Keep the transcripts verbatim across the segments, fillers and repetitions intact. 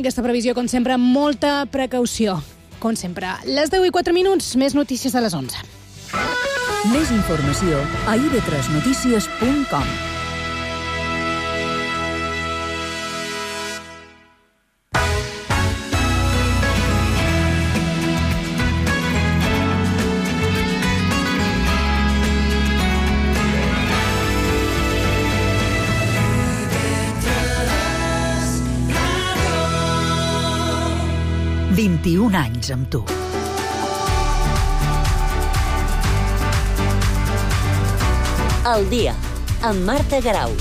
aquesta previsió, com sempre, amb molta precaució. Com sempre, les deu i quatre minuts, més notícies a les onze. Més informació a i ve tres notícies punt com. vint-i-un anys amb tu. El dia, amb Marta Garau.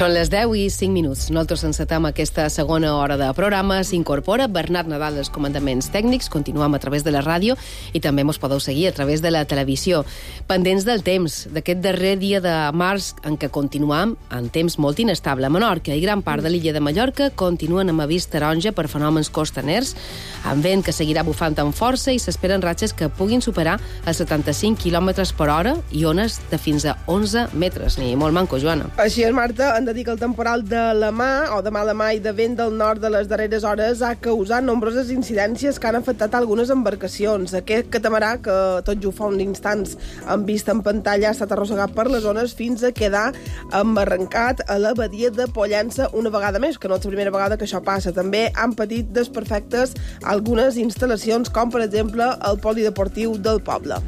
Són les deu i cinc minuts. Nosaltres encetem aquesta segona hora de programa. S'incorpora Bernat Nadal als comandaments tècnics. Continuem a través de la ràdio i també mos podeu seguir a través de la televisió. Pendents del temps, d'aquest darrer dia de març en què continuem en temps molt inestable. A Menorca i gran part de l'illa de Mallorca continuen amb avís taronja per fenòmens costaners, amb vent que seguirà bufant amb força i s'esperen ratxes que puguin superar els setanta-cinc quilòmetres per hora i ones de fins a onze metres. Ni molt manco, Joana. Així és, Marta. Han de dir que el temporal de la mà o de mala mà i de vent del nord de les darreres hores ha causat nombroses incidències que han afectat algunes embarcacions. Aquest catamarà, que tot just fa uns instants han vist en pantalla, ha estat arrossegat per les ones fins a quedar embarrancat a la badia de Pollença una vegada més, que no és la primera vegada que això passa. També han patit desperfectes algunes instal·lacions, com per exemple el polideportiu del poble.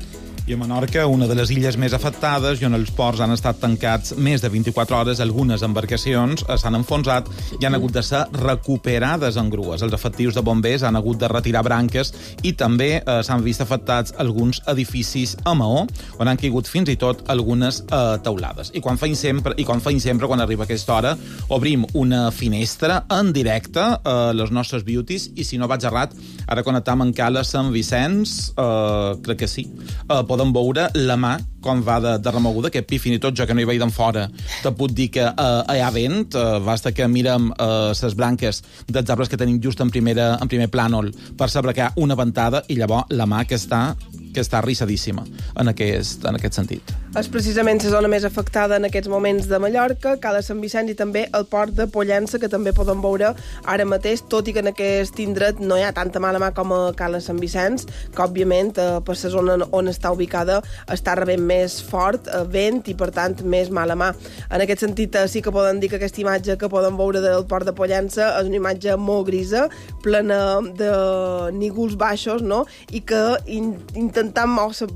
I a Menorca, una de les illes més afectades, i on els ports han estat tancats més de vint-i-quatre hores, algunes embarcacions s'han enfonsat i han hagut de ser recuperades en grues. Els efectius de bombers han hagut de retirar branques i també eh, s'han vist afectats alguns edificis a Maó, on han caigut fins i tot algunes eh, teulades. I quan feim sempre, i quan feim sempre, quan arriba aquesta hora, obrim una finestra en directe a eh, les nostres beauties, i si no vaig errat, ara connectam en Cala Sant Vicenç, eh, crec que sí, eh, podem veure la mà com va de, de remoguda, aquest pi, fins i tot jo que no hi veig d'en fora, te puc dir que eh, hi ha vent, eh, basta que mirem les eh, branques dels arbres que tenim just en, primera, en primer plànol per saber que hi ha una ventada i llavors la mà que està que està rissadíssima en aquest, en aquest sentit. És precisament la zona més afectada en aquests moments de Mallorca, Cala Sant Vicenç i també el port de Pollença, que també podem veure ara mateix, tot i que en aquest indret no hi ha tanta mala mà com a Cala Sant Vicenç, que òbviament eh, per la zona on està ubicada està rebent més fort eh, vent i per tant més mala mà. En aquest sentit eh, sí que podem dir que aquesta imatge que podem veure del port de Pollença és una imatge molt grisa, plena de nígols baixos, no? I que in, intentant o se,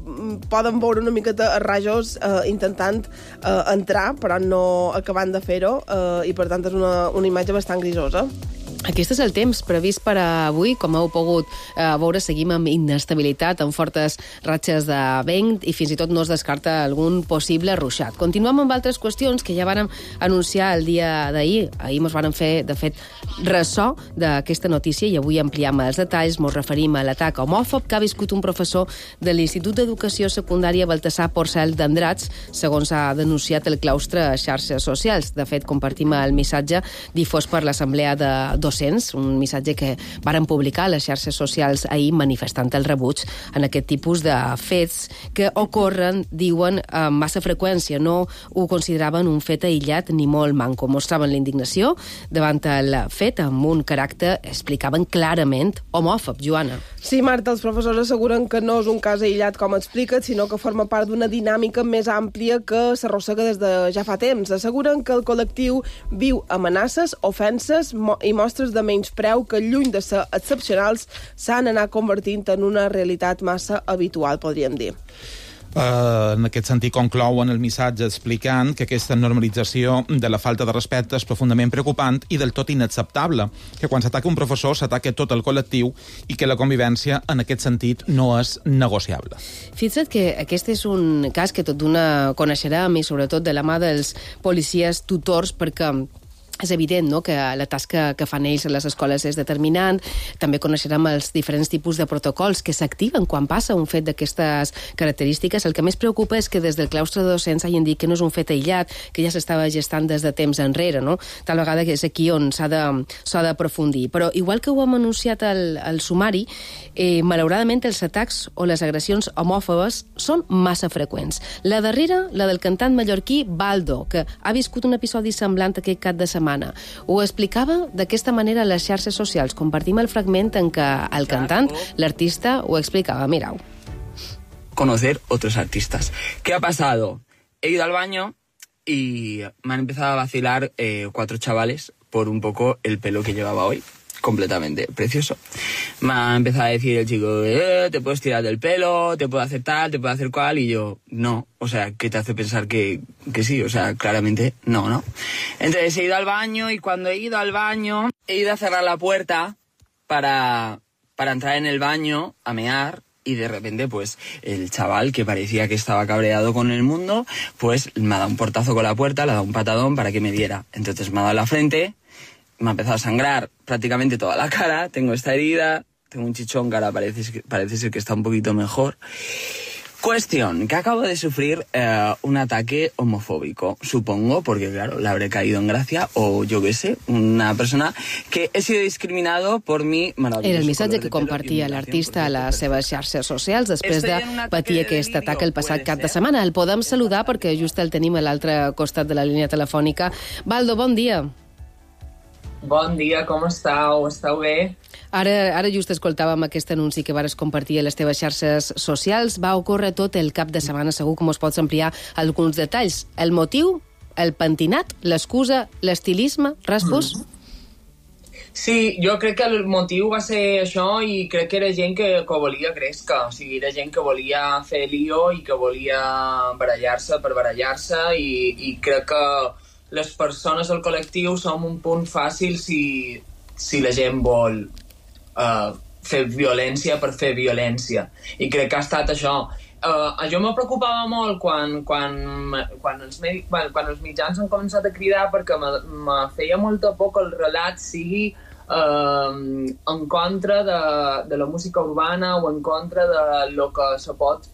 poden veure una miqueta a rajos eh, intentant eh, entrar, però no acabant de fer-ho, eh, i per tant és una, una imatge bastant grisosa. Aquest és el temps previst per a avui. Com heu pogut eh, veure, seguim amb inestabilitat, amb fortes ratxes de vent i fins i tot no es descarta algun possible ruixat. Continuem amb altres qüestions que ja vàrem anunciar el dia d'ahir. Ahir ens vàrem fer, de fet, ressò d'aquesta notícia i avui ampliem els detalls. Ens referim a l'atac homòfob que ha viscut un professor de l'Institut d'Educació Secundària Baltasar Porcel d'Andrats, segons ha denunciat el claustre a xarxes socials. De fet, compartim el missatge difós per l'Assemblea de Docents, un missatge que varen publicar a les xarxes socials ahir manifestant el rebuig en aquest tipus de fets que ocorren, diuen, amb massa freqüència. No ho consideraven un fet aïllat ni molt manco. Mostraven la indignació davant el fet amb un caràcter, explicaven clarament, homòfob. Joana. Sí, Marta, els professors asseguren que no és un cas aïllat, com expliquen, sinó que forma part d'una dinàmica més àmplia que s'arrossega des de ja fa temps. Asseguren que el col·lectiu viu amenaces, ofenses i mostres de menyspreu que, lluny de ser excepcionals, s'han anat convertint en una realitat massa habitual, podríem dir. Uh, en aquest sentit conclouen el missatge explicant que aquesta normalització de la falta de respecte és profundament preocupant i del tot inacceptable, que quan s'ataca un professor s'ataca tot el col·lectiu i que la convivència en aquest sentit no és negociable. Fixa't que aquest és un cas que tot d'una coneixerem i sobretot de la mà dels policies tutors, perquè és evident, no?, que la tasca que fan ells a les escoles és determinant. També coneixerem els diferents tipus de protocols que s'activen quan passa un fet d'aquestes característiques. El que més preocupa és que des del claustre de docents hagin dit que no és un fet aïllat, que ja s'estava gestant des de temps enrere, no? Tal vegada que és aquí on s'ha de, s'ha d'aprofundir. Però igual que ho hem anunciat al, al sumari, eh, malauradament els atacs o les agressions homòfobes són massa freqüents. La darrera, la del cantant mallorquí Baldo, que ha viscut un episodi semblant aquest cap de setmana. Ho explicava d'aquesta manera a les xarxes socials. Compartim el fragment en què el cantant, l'artista, ho explicava. Mirau. Conocer otros artistas. ¿Qué ha pasado? He ido al baño y me han empezado a vacilar eh, cuatro chavales por un poco el pelo que llevaba hoy. Completamente precioso. Me ha empezado a decir el chico, eh, te puedes tirar del pelo, te puedo hacer tal, te puedo hacer cual, y yo, no. O sea, ¿qué te hace pensar que, que sí? O sea, claramente no, ¿no? Entonces he ido al baño y cuando he ido al baño, he ido a cerrar la puerta para, para entrar en el baño a mear. Y de repente, pues, el chaval, que parecía que estaba cabreado con el mundo, pues me ha dado un portazo con la puerta, le ha dado un patadón para que me diera. Entonces me ha dado en la frente, me ha empezado a sangrar prácticamente toda la cara, tengo esta herida, tengo un chichón que ahora parece, parece ser que está un poquito mejor. Cuestión, que acabo de sufrir eh, un ataque homofóbico, supongo, porque claro, le habré caído en gracia, o yo qué sé, una persona que he sido discriminado por mi maravilloso. Era el missatge que compartia l'artista a les seves xarxes socials després de patir aquest atac el passat cap de setmana. El podem saludar perquè just el tenim a l'altre costat de la línia telefònica. Baldo, bon dia. Bon dia, com estàu? Estàu bé? Ara, ara just escoltàvem aquest anunci que vares compartir a les teves xarxes socials. Va ocórrer tot el cap de setmana, segur que mos pots ampliar alguns detalls. El motiu, el pentinat, l'excusa, l'estilisme, res vos? Sí, jo crec que el motiu va ser això i crec que era gent que, que volia gresca. O sigui, era gent que volia fer lío i que volia barallar-se per barallar-se i, i crec que les persones del col·lectiu som un punt fàcil si, si la gent vol uh, fer violència per fer violència. I crec que ha estat això. Uh, jo me preocupava molt quan, quan, quan, els med... quan, quan els mitjans han començat a cridar perquè me, me feia molta por que el relat sigui uh, en contra de, de la música urbana o en contra de lo que se pot...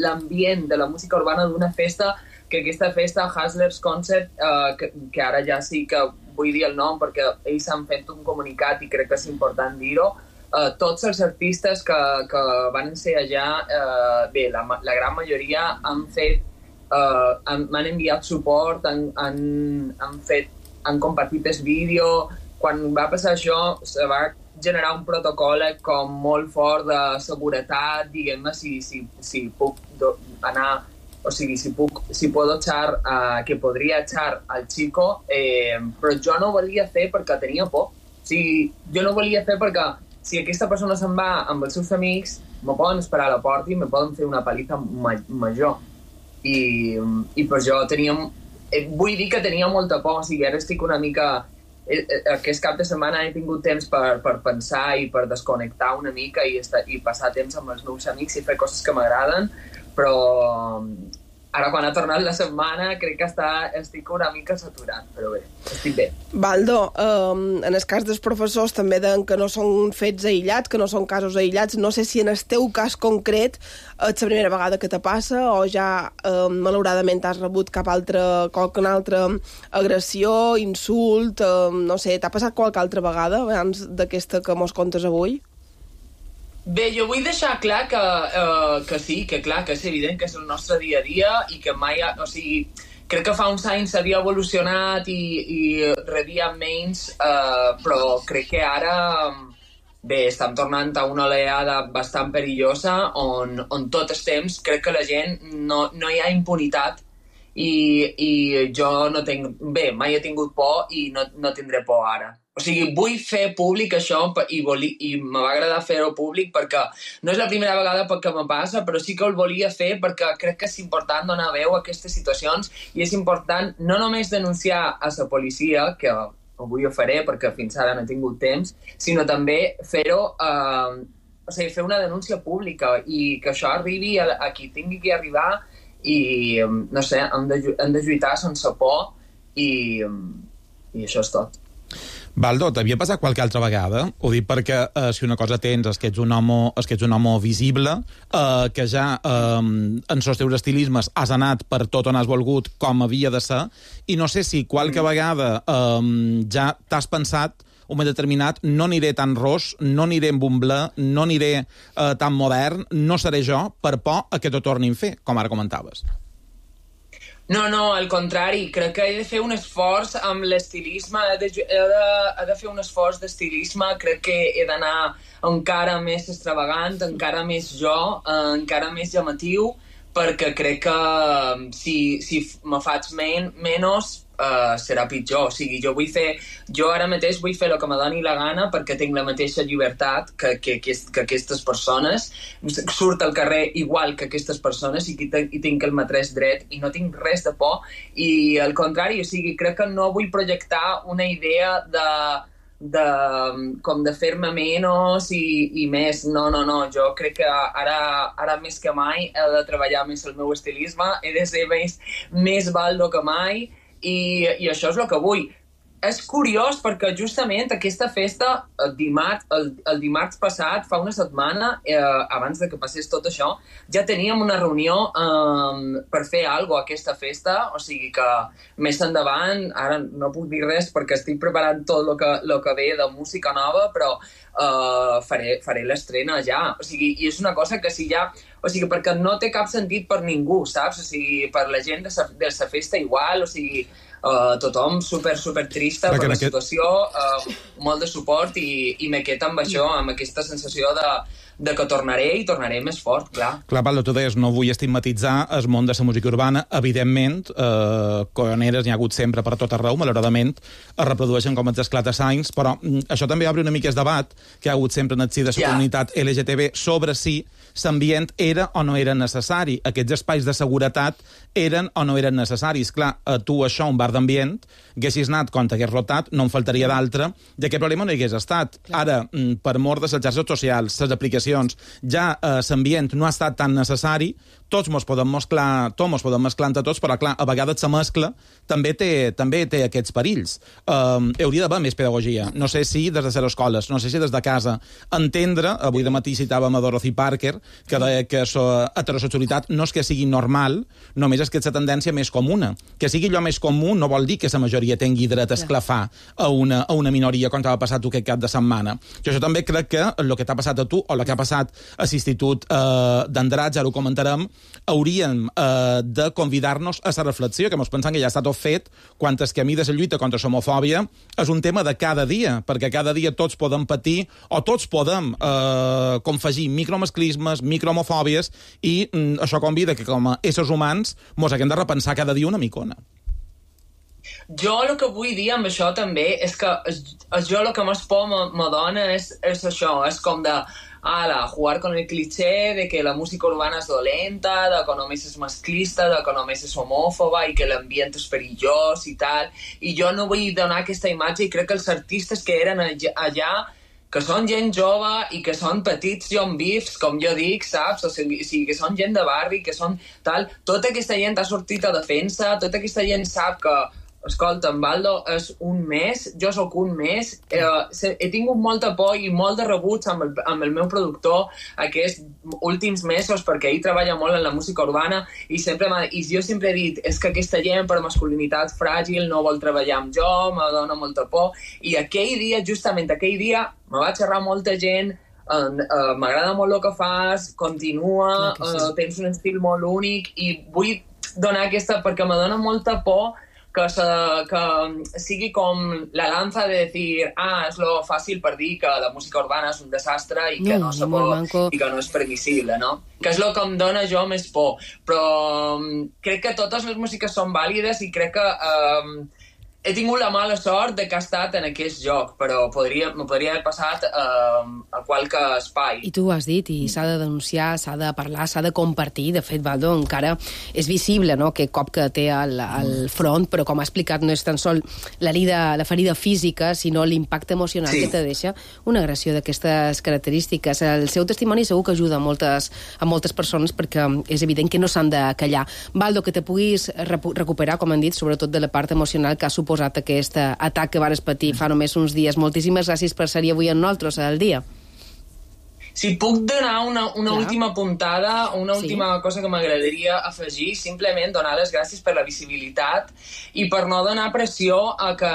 l'ambient de la música urbana d'una festa, que aquesta festa, Hustlers Concert, uh, que, que ara ja sí que vull dir el nom perquè ells han fet un comunicat i crec que és important dir-ho, uh, tots els artistes que, que van ser allà, uh, bé, la, la gran majoria han fet, uh, han, m'han enviat suport, han, han, han, fet, han compartit el vídeo. Quan va passar això, se va generar un protocol com molt fort de seguretat, diguem-ne, si, si, si puc do, anar... O sigui, si, puc, si puedo echar, uh, que podria echar al chico, eh, però jo no volia fer perquè tenia por. O sigui, jo no volia fer perquè si aquesta persona se'n va amb els seus amics, me poden esperar a la porta i me poden fer una paliza ma major. I, i per això tenia... Eh, vull dir que tenia molta por, o sigui, ara estic una mica... Eh, eh, aquest cap de setmana he tingut temps per, per pensar i per desconnectar una mica i, estar, i passar temps amb els meus amics i fer coses que m'agraden, però ara quan ha tornat la setmana crec que està, estic una mica saturat, però bé, estic bé. Baldo, um, en el cas dels professors també deien que no són fets aïllats, que no són casos aïllats. No sé si en el teu cas concret és la primera vegada que te passa o ja um, malauradament has rebut cap altra, qualsevol altra agressió, insult, um, no sé, t'ha passat qualque altra vegada abans d'aquesta que mos contes avui? Bé, jo vull deixar clar que, uh, que sí, que clar, que és evident que és el nostre dia a dia i que mai... Ha, o sigui, crec que fa uns anys s'havia evolucionat i, i rebia menys, uh, però crec que ara, bé, estem tornant a una oleada bastant perillosa on, on tot el temps crec que la gent no, no hi ha impunitat i, i jo no tinc... Bé, mai he tingut por i no, no tindré por ara. O sigui, vull fer públic això i, voli, i me va agradar fer-ho públic perquè no és la primera vegada que me passa, però sí que el volia fer perquè crec que és important donar veu a aquestes situacions i és important no només denunciar a la policia, que avui ho faré perquè fins ara no he tingut temps, sinó també fer-ho, eh, o sigui, fer una denúncia pública i que això arribi a, a qui tingui que arribar i, no sé, hem de, hem de lluitar sense por i, i això és tot. Baldo, t'havia passat qualque altra vegada? Ho dic perquè eh, si una cosa tens és que ets un home, és que ets un home visible, eh, que ja eh, en els teus estilismes has anat per tot on has volgut com havia de ser, i no sé si qualque vegada eh, ja t'has pensat un moment determinat, no aniré tan ros, no aniré amb un ble, no aniré eh, tan modern, no seré jo, per por a que t'ho tornin a fer, com ara comentaves. No, no, al contrari, crec que he de fer un esforç amb l'estilisme, he de, he de, he de fer un esforç d'estilisme, crec que he d'anar encara més extravagant, encara més jo, eh, encara més llamatiu, perquè crec que si, si me faig men, menys uh, serà pitjor. O sigui, jo vull fer, jo ara mateix vull fer el que me doni la gana perquè tinc la mateixa llibertat que, que, que, que aquestes persones, surt al carrer igual que aquestes persones i, i tinc el mateix dret i no tinc res de por i al contrari, o sigui, crec que no vull projectar una idea de de, com de fer-me menys i, i més, no, no, no, jo crec que ara, ara més que mai he de treballar més el meu estilisme, he de ser més, més baldo que mai i, i això és el que vull. És curiós perquè justament aquesta festa, el dimarts, el, el dimarts passat, fa una setmana, eh, abans de que passés tot això, ja teníem una reunió eh, per fer alguna cosa a aquesta festa, o sigui que més endavant, ara no puc dir res perquè estic preparant tot el que, lo que ve de música nova, però eh, faré, faré l'estrena ja. O sigui, i és una cosa que si ja... O sigui, perquè no té cap sentit per ningú, saps? O sigui, per la gent de sa, de sa festa igual, o sigui... Uh, tothom super, super trista per la situació, uh, molt de suport i, i me quedo amb això, amb aquesta sensació de, de que tornaré i tornaré més fort, clar. Clar, Pablo, tu deies, no vull estigmatitzar el món de la música urbana. Evidentment, eh, coioneres n'hi ha hagut sempre per tot arreu, malauradament es reprodueixen com els esclata-sains, però mm, això també obre una mica el debat que hi ha hagut sempre en el si de la yeah. comunitat L G T B sobre si l'ambient era o no era necessari. Aquests espais de seguretat eren o no eren necessaris. Clar, a tu això, un bar d'ambient, haguessis anat quan t'hagués rotat, no en faltaria d'altre, i aquest problema no hi hagués estat. Clar. Ara, per mort de les xarxes socials, les aplicacions, ja eh, l'ambient no ha estat tan necessari, tots mos podem mesclar, tots mos podem mesclar entre tots, però clar, a vegades la mescla també té, també té aquests perills. Um, hauria d'haver més pedagogia. No sé si des de les escoles, no sé si des de casa, entendre, avui de matí citàvem a Dorothy Parker, que deia que la heterosexualitat no és que sigui normal, només és que és la tendència més comuna. Que sigui allò més comú no vol dir que la majoria tingui dret a esclafar a una, a una minoria com t'ha passat tu aquest cap de setmana. Jo això també crec que el que t'ha passat a tu o el que ha passat a l'Institut eh, d'Andratx, ara ho comentarem, hauríem eh, de convidar-nos a la reflexió, que mos pensem que ja està tot fet, quan és que a mi de la lluita contra l'homofòbia és un tema de cada dia, perquè cada dia tots podem patir o tots podem eh, confegir micromasclismes, microhomofòbies, i mm, això convida que com a éssers humans mos haguem de repensar cada dia una micona. Jo el que vull dir amb això també és que és, és jo el que més por me dona és, és això, és com de ala, jugar con el cliché de que la música urbana és dolenta, de que només és masclista, de que només és homòfoba i que l'ambient és perillós i tal, i jo no vull donar aquesta imatge i crec que els artistes que eren allà que són gent jove i que són petits John Beefs, com jo dic, saps? O sigui, que són gent de barri, que són tal... Tota aquesta gent ha sortit a defensa, tota aquesta gent sap que, escolta, en Baldo és un mes, jo sóc un mes, eh, he tingut molta por i molt de rebuig amb el, amb el meu productor aquests últims mesos, perquè ell treballa molt en la música urbana i, sempre i jo sempre he dit, és que aquesta gent per masculinitat fràgil no vol treballar amb jo, me dona molta por, i aquell dia, justament aquell dia, me va xerrar molta gent, uh, uh, m'agrada molt el que fas, continua, sí. uh, tens un estil molt únic, i vull donar aquesta, perquè me dona molta por que, se, que sigui com la lanza de dir, ah, és lo fàcil per dir que la música urbana és un desastre i que no, no se pot, i que no és permissible, no? Que és el que em dona jo més por. Però um, crec que totes les músiques són vàlides i crec que um, he tingut la mala sort de que ha estat en aquest joc, però podria, me podria haver passat eh, a qualque espai. I tu ho has dit, i s'ha de denunciar, s'ha de parlar, s'ha de compartir. De fet, Baldo, encara és visible, no?, que cop que té al, al front, però com ha explicat, no és tan sol la, lida, la ferida física, sinó l'impacte emocional sí. que te deixa una agressió d'aquestes característiques. El seu testimoni segur que ajuda a moltes, a moltes persones, perquè és evident que no s'han de callar. Baldo, que te puguis recuperar, com han dit, sobretot de la part emocional que ha suposat posat aquest atac que vares patir fa només uns dies. Moltíssimes gràcies per ser avui amb nosaltres al dia. Si puc donar una, una última puntada, una última sí. cosa que m'agradaria afegir, simplement donar les gràcies per la visibilitat i per no donar pressió a que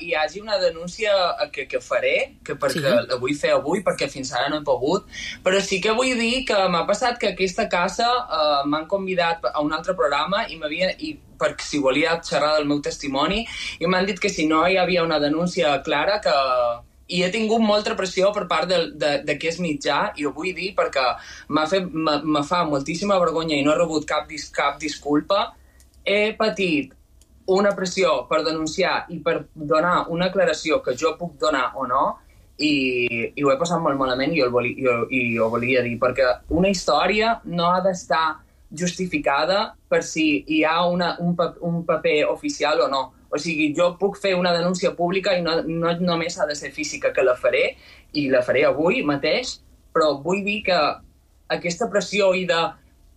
hi hagi una denúncia que, que faré, que perquè sí. la vull fer avui, perquè fins ara no he pogut, però sí que vull dir que m'ha passat que aquesta casa eh, m'han convidat a un altre programa i m'havia... I perquè si volia xerrar del meu testimoni, i m'han dit que si no hi havia una denúncia clara, que... i he tingut molta pressió per part d'aquest mitjà, i ho vull dir perquè m'ha fet, me fa moltíssima vergonya i no he rebut cap, dis, cap disculpa. He patit una pressió per denunciar i per donar una aclaració que jo puc donar o no, i, i ho he passat molt malament i ho, i, ho, i ho volia dir, perquè una història no ha d'estar justificada per si hi ha una, un, un paper oficial o no. O sigui, jo puc fer una denúncia pública i no, no només ha de ser física, que la faré, i la faré avui mateix, però vull dir que aquesta pressió i de...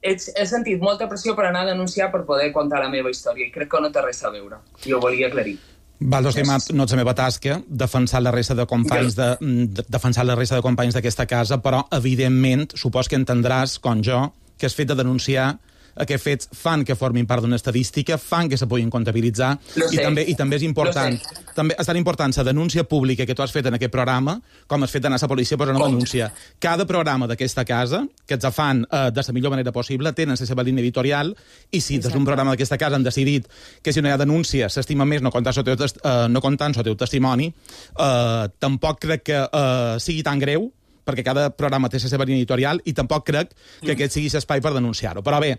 He, he sentit molta pressió per anar a denunciar per poder contar la meva història, i crec que no té res a veure. I ho volia aclarir. Baldo, estimat, no és la meva tasca defensar la resta de companys de, de, defensar la resta de companys d'aquesta casa, però, evidentment, supos que entendràs, com jo, que és fet de denunciar aquests fets fan que formin part d'una estadística, fan que se puguin comptabilitzar, i també, i també és important, també és tan important la denúncia pública que tu has fet en aquest programa, com has fet d'anar a la policia per una denúncia. Cada programa d'aquesta casa, que ens fan eh, de la millor manera possible, tenen la seva línia editorial, i si des d'un programa d'aquesta casa han decidit que si no hi ha denúncia s'estima més no comptant el teu, eh, no comptant el teu testimoni, eh, tampoc crec que eh, sigui tan greu, perquè cada programa té la seva línia editorial, i tampoc crec que aquest sigui l'espai per denunciar-ho. Però bé,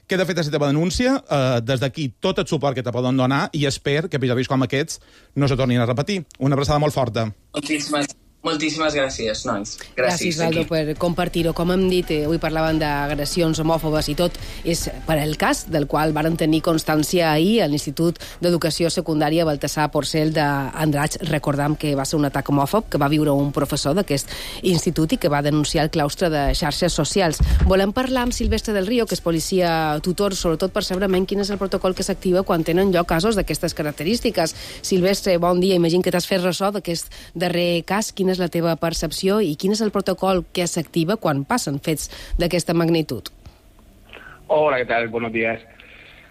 queda feta la teva denúncia, eh, des d'aquí tot el suport que te poden donar, i espero que episodis com aquests no se tornin a repetir. Una abraçada molt forta. Moltíssimes Moltíssimes gràcies, nois. Gràcies, gràcies Baldo, per compartir-ho. Com hem dit, eh, avui parlaven d'agressions homòfobes i tot és per el cas del qual varen tenir constància ahir a l'Institut d'Educació Secundària Baltasar Porcel d'Andratx. Recordam que va ser un atac homòfob que va viure un professor d'aquest institut i que va denunciar el claustre de xarxes socials. Volem parlar amb Silvestre del Río, que és policia tutor, sobretot per saber quin és el protocol que s'activa quan tenen lloc casos d'aquestes característiques. Silvestre, bon dia. Imagino que t'has fet ressò d'aquest darrer cas. Quina és la teva percepció i quin és el protocol que s'activa quan passen fets d'aquesta magnitud? Hola, ¿qué tal? Buenos días.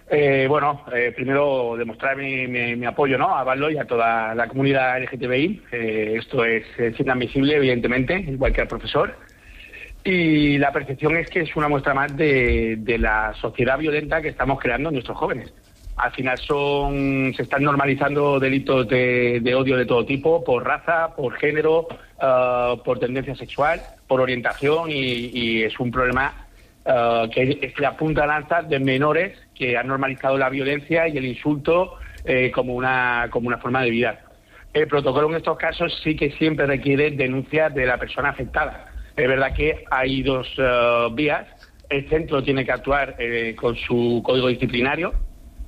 Eh, bueno, eh, primero demostrar mi, mi, mi apoyo, ¿no?, a Baldo y a toda la comunidad L G T B I. Eh, esto es, es inadmisible, evidentemente, igual que al profesor. Y la percepción es que es una muestra más de, de la sociedad violenta que estamos creando en nuestros jóvenes. Al final son se están normalizando delitos de, de odio de todo tipo, por raza, por género, uh, por tendencia sexual, por orientación, y, y es un problema uh, que es la punta de lanza de menores que han normalizado la violencia y el insulto eh, como una como una forma de vida. El protocolo en estos casos sí que siempre requiere denuncias de la persona afectada. Es verdad que hay dos uh, vías. El centro tiene que actuar eh, con su código disciplinario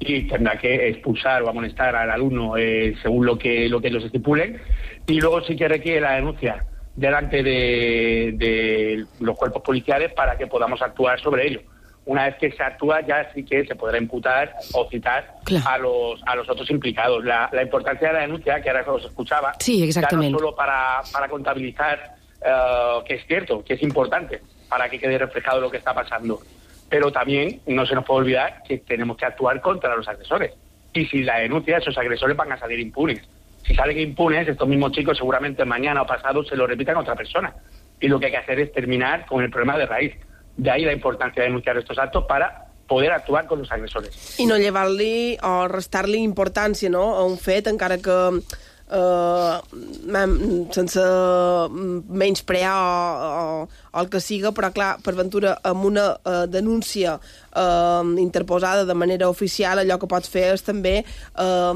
y tendrá que expulsar o amonestar al alumno eh, según lo que lo que ellos estipulen, y luego sí que requiere la denuncia delante de, de los cuerpos policiales para que podamos actuar sobre ello. Una vez que se actúa, ya sí que se podrá imputar o citar claro. a los a los otros implicados. La, la importancia de la denuncia, que ahora os escuchaba, sí, exactamente. ya no solo para, para contabilizar uh, que es cierto, que es importante, para que quede reflejado lo que está pasando, pero también no se nos puede olvidar que tenemos que actuar contra los agresores. Y si la denuncia, esos agresores van a salir impunes. Si salen impunes, estos mismos chicos seguramente mañana o pasado se lo repitan a otra persona. Y lo que hay que hacer es terminar con el problema de raíz. De ahí la importancia de denunciar estos actos para poder actuar con los agresores. I no llevar-li o restar-li importància, no?, a un fet, encara que Uh, sense menysprear o, o, o el que siga, però clar, per ventura, amb una eh, denúncia eh, interposada de manera oficial, allò que pots fer és també eh,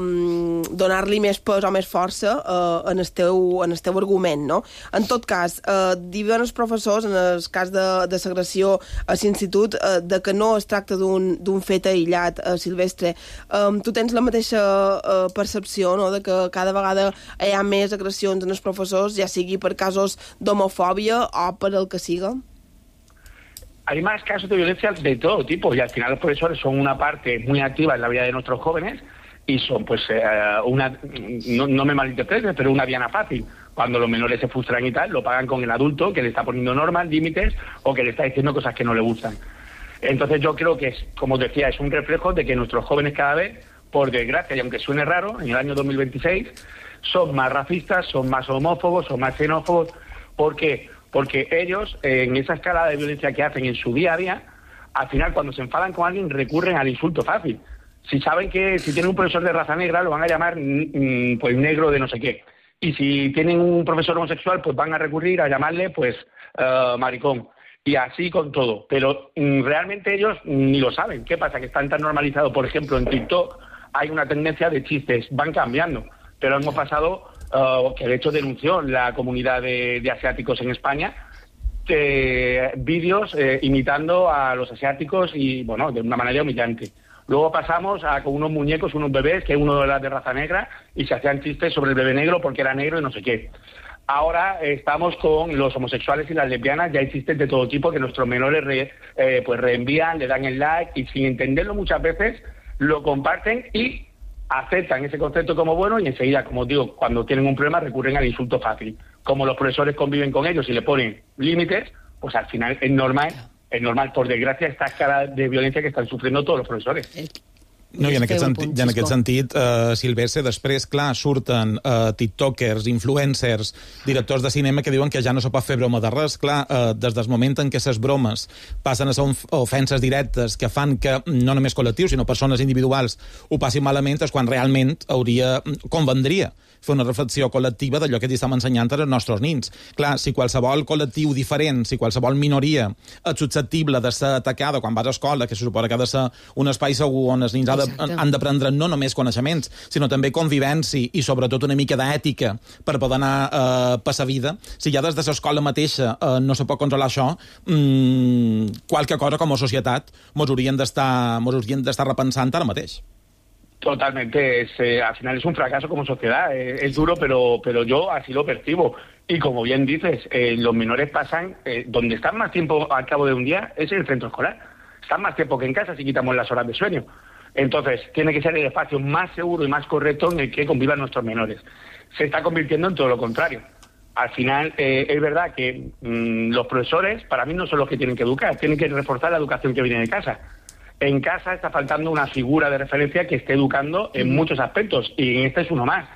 donar-li més pes o més força eh, en, el teu, en el teu argument, no? En tot cas, eh, diuen els professors, en el cas de, de l'agressió a l'institut, eh, de que no es tracta d'un fet aïllat, eh, Silvestre. Eh, tu tens la mateixa eh, percepció, no?, de que cada vegada hi ha més agressions en els professors, ja sigui per casos d'homofòbia o per el que siga? Hay más casos de violencia de todo tipo y al final los profesores son una parte muy activa en la vida de nuestros jóvenes y son, pues, eh, una, no, no me malinterpretes, pero una diana fácil. Cuando los menores se frustran y tal, lo pagan con el adulto que le está poniendo normas, límites o que le está diciendo cosas que no le gustan. Entonces yo creo que, es, como decía, es un reflejo de que nuestros jóvenes cada vez, por desgracia, y aunque suene raro, en el año dos mil veintiséis, son más racistas, son más homófobos, son más xenófobos. ¿Por qué? Porque ellos, eh, en esa escala de violencia que hacen en su día a día, al final, cuando se enfadan con alguien, recurren al insulto fácil. Si saben que si tienen un profesor de raza negra, lo van a llamar mm, pues negro de no sé qué. Y si tienen un profesor homosexual, pues van a recurrir a llamarle pues uh, maricón. Y así con todo. Pero mm, realmente ellos ni lo saben. ¿Qué pasa? Que están tan normalizados. Por ejemplo, en TikTok hay una tendencia de chistes. Van cambiando. Pero hemos pasado, uh, que de hecho denunció la comunidad de, de asiáticos en España, eh, vídeos eh, imitando a los asiáticos y, bueno, de una manera humillante. Luego pasamos a con unos muñecos, unos bebés, que uno era de raza negra, y se hacían chistes sobre el bebé negro porque era negro y no sé qué. Ahora eh, estamos con los homosexuales y las lesbianas, ya hay chistes de todo tipo que nuestros menores re, eh, pues reenvían, le dan el like, y sin entenderlo muchas veces lo comparten y aceptan ese concepto como bueno, y enseguida, como os digo, cuando tienen un problema recurren al insulto fácil. Como los profesores conviven con ellos y le ponen límites, pues al final es normal, es normal, por desgracia, esta escala de violencia que están sufriendo todos los profesores. No, i en aquest sentit, i en aquest sentit uh, Silvestre, després, clar, surten uh, tiktokers, influencers, directors de cinema que diuen que ja no se pot fer broma de res. Clar, uh, des del moment en què les bromes passen a ser ofenses directes que fan que no només col·lectius, sinó persones individuals ho passin malament, és quan realment hauria, convendria fer una reflexió col·lectiva d'allò que estem ensenyant als nostres nins. Clar, si qualsevol col·lectiu diferent, si qualsevol minoria és susceptible de ser atacada quan vas a escola, que se suposa que ha de ser un espai segur on els nins ha de, han d'aprendre no només coneixements, sinó també convivència i sobretot una mica d'ètica per poder anar eh, per la vida, si ja des de l'escola mateixa eh, no se pot controlar això, mmm, qualque cosa com a societat mos hauríem d'estar mos hauríem d'estar repensant ara mateix. Totalmente, es, eh, al final es un fracaso como sociedad, eh, es duro, pero, pero yo así lo percibo. Y como bien dices, eh, los menores pasan, eh, donde están más tiempo al cabo de un día es en el centro escolar. Están más tiempo que en casa si quitamos las horas de sueño. Entonces, tiene que ser el espacio más seguro y más correcto en el que convivan nuestros menores. Se está convirtiendo en todo lo contrario. Al final, eh, es verdad que mmm, los profesores, para mí, no son los que tienen que educar, tienen que reforzar la educación que viene de casa. En casa está faltando una figura de referencia que esté educando en muchos aspectos, y en este es uno más.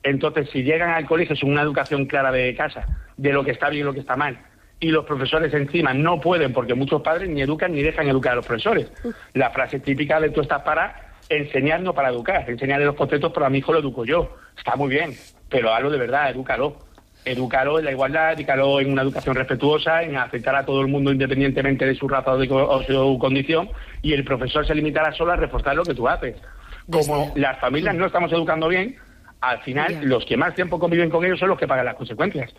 Entonces, si llegan al colegio sin una educación clara de casa, de lo que está bien y lo que está mal, y los profesores encima no pueden, porque muchos padres ni educan ni dejan educar a los profesores. La frase típica de tú estás para enseñar, no para educar. Enseñarle los conceptos, pero a mi hijo lo educo yo. Está muy bien, pero hazlo de verdad, edúcalo. Edúcalo en la igualdad, edúcalo en una educación respetuosa, en aceptar a todo el mundo independientemente de su raza o de o su condición, y el profesor se limitará solo a reforzar lo que tú haces. Como las familias no estamos educando bien, al final los que más tiempo conviven con ellos son los que pagan las consecuencias.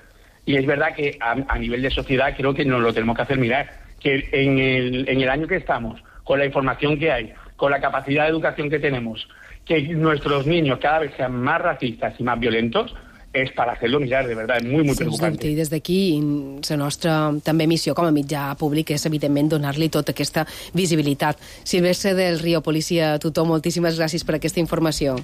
Y es verdad que a, a nivel de sociedad creo que nos lo tenemos que hacer mirar, que en el, en el año que estamos, con la información que hay, con la capacidad de educación que tenemos, que nuestros niños cada vez sean más racistas y más violentos, és per fer-lo mirar, de veritat, és molt, molt preocupant. I des d'aquí, la nostra també missió com a mitjà públic és, evidentment, donar-li tota aquesta visibilitat. Silvestre del Río, Policia Tutor, moltíssimes gràcies per aquesta informació.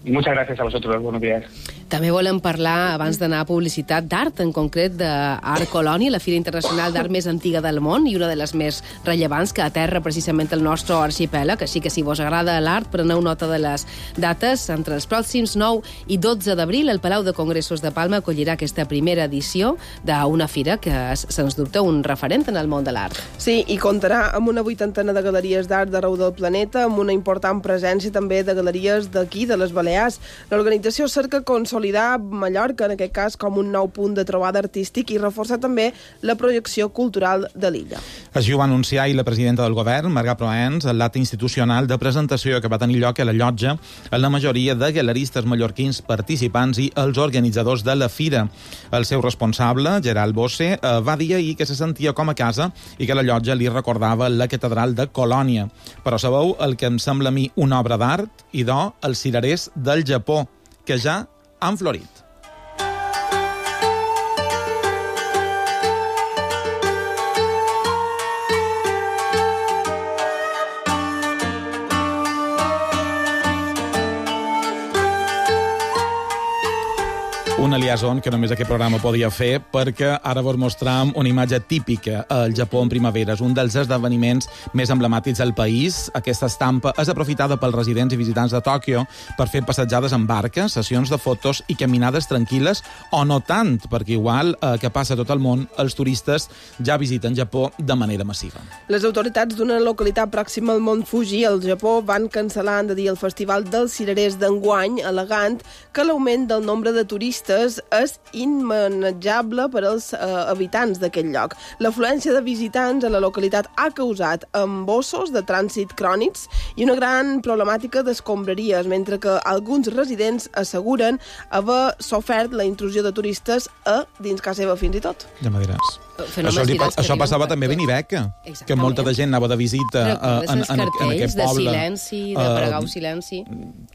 Muchas gracias a vosotros, buenos días. També volem parlar, abans d'anar a publicitat, d'art, en concret d'Art Colònia, la fira internacional d'art més antiga del món i una de les més rellevants que aterra precisament el nostre arxipèlag, així que si vos agrada l'art, preneu nota de les dates. Entre els pròxims nou i dotze d'abril, el Palau de Congressos de Palma acollirà aquesta primera edició d'una fira que és, sens dubte, un referent en el món de l'art. Sí, i comptarà amb una vuitantena de galeries d'art d'arreu del planeta, amb una important presència també de galeries d'aquí, de les Balears, Balears. L'organització cerca consolidar Mallorca, en aquest cas, com un nou punt de trobada artístic i reforçar també la projecció cultural de l'illa. Així ho va anunciar i la presidenta del govern, Marga Proens, en l'acte institucional de presentació que va tenir lloc a la llotja a la majoria de galeristes mallorquins participants i els organitzadors de la fira. El seu responsable, Gerald Bosse, va dir ahir que se sentia com a casa i que la llotja li recordava la catedral de Colònia. Però sabeu el que em sembla a mi una obra d'art? Idò, els cirerers del Japó, que ja han florit. Una liaison que només aquest programa podia fer perquè ara vos mostrem una imatge típica al Japó en primavera. És un dels esdeveniments més emblemàtics del país. Aquesta estampa és aprofitada pels residents i visitants de Tòquio per fer passejades en barques, sessions de fotos i caminades tranquil·les, o no tant, perquè igual eh, que passa a tot el món, els turistes ja visiten Japó de manera massiva. Les autoritats d'una localitat pròxima al Mont Fuji, al Japó, van cancel·lar, han de dir, el Festival dels Cirerers d'enguany, al·legant que l'augment del nombre de turistes és immanejable per als eh, habitants d'aquest lloc. L'afluència de visitants a la localitat ha causat embossos de trànsit crònics i una gran problemàtica d'escombraries, mentre que alguns residents asseguren haver sofert la intrusió de turistes a dins casa seva fins i tot. Ja me diràs. Això, li, això passava també a Benibeca, que molta de gent anava de visita uh, en, en, en aquest poble. De silenci, de pregar uh, silenci.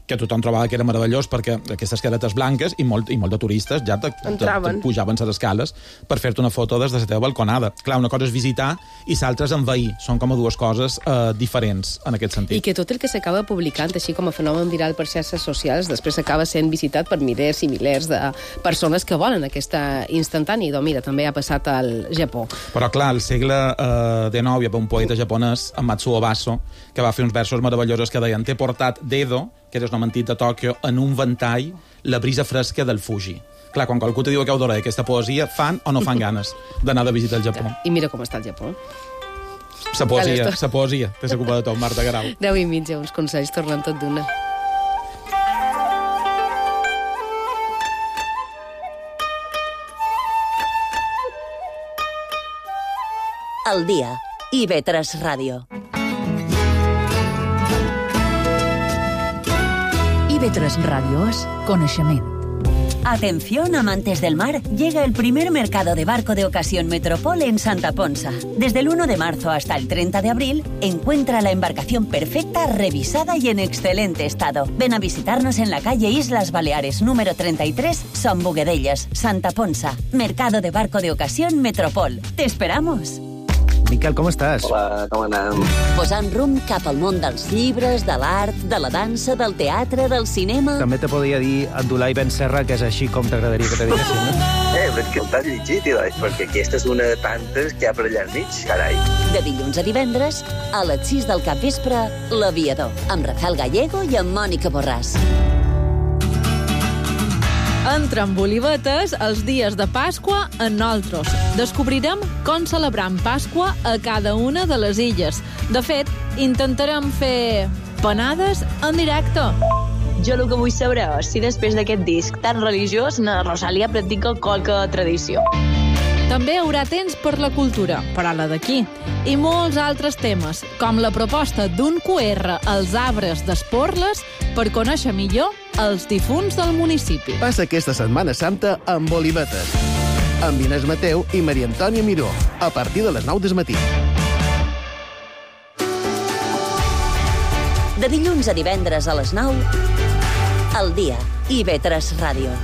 Que tothom trobava que era meravellós perquè aquestes caretes blanques i molt, i molt de turistes ja te, te, te pujaven les escales per fer-te una foto des de la teva balconada. Clar, una cosa és visitar i l'altra és envair. Són com a dues coses uh, diferents en aquest sentit. I que tot el que s'acaba publicant, així com a fenomen viral per xarxes socials, després s'acaba sent visitat per milers i milers de persones que volen aquesta instantània. I doncs mira, també ha passat al Japó. Però clar, al segle eh, dinou hi havia un poeta japonès, en Matsuo Baso, que va fer uns versos meravellosos que deien: t'he portat d'Edo, que és un antic de Tòquio, en un ventall la brisa fresca del Fuji. Clar, quan qualcú te diu que heu d'hora aquesta poesia, fan o no fan ganes d'anar de visita al Japó. I mira com està el Japó. Sa poesia, sa poesia, te s'ocupa de tot, Marta Garau. Deu i mitja, uns consells tornen tot d'una. El dia. I ve tres Ràdio. I ve tres Ràdio és coneixement. Atención, amantes del mar, llega el primer mercado de barco de ocasión Metropol en Santa Ponsa. Desde el uno de marzo hasta el treinta de abril, encuentra la embarcación perfecta, revisada y en excelente estado. Ven a visitarnos en la calle Islas Baleares, número treinta y tres, Son Boguedellas, Santa Ponsa. Mercado de barco de ocasión Metropol. ¡Te esperamos! Miquel, com estàs? Hola, com anem? Posant rumb cap al món dels llibres, de l'art, de la dansa, del teatre, del cinema... També te podria dir Abdulai Ben Serra, que és així com t'agradaria que te diguessin, no? Eh, però és que el t'has llegit, Ilai, perquè aquesta és una de tantes que hi ha per allà al mig, carai. De dilluns a divendres, a les sis del capvespre, L'Aviador, amb Rafael Gallego i amb Mònica Borràs. Entra amb olivetes els dies de Pasqua en nosaltres. Descobrirem com celebram Pasqua a cada una de les illes. De fet, intentarem fer panades en directe. Jo el que vull saber és si després d'aquest disc tan religiós na Rosalia practica qualque tradició. També hi haurà temps per la cultura, però la d'aquí, i molts altres temes, com la proposta d'un Q R als arbres d'Esporles per conèixer millor els difunts del municipi. Passa aquesta Setmana Santa amb Olivetes, amb Inés Mateu i Maria Antònia Miró, a partir de les nou del matí. De dilluns a divendres a les nou, El dia, i ve tres Ràdio.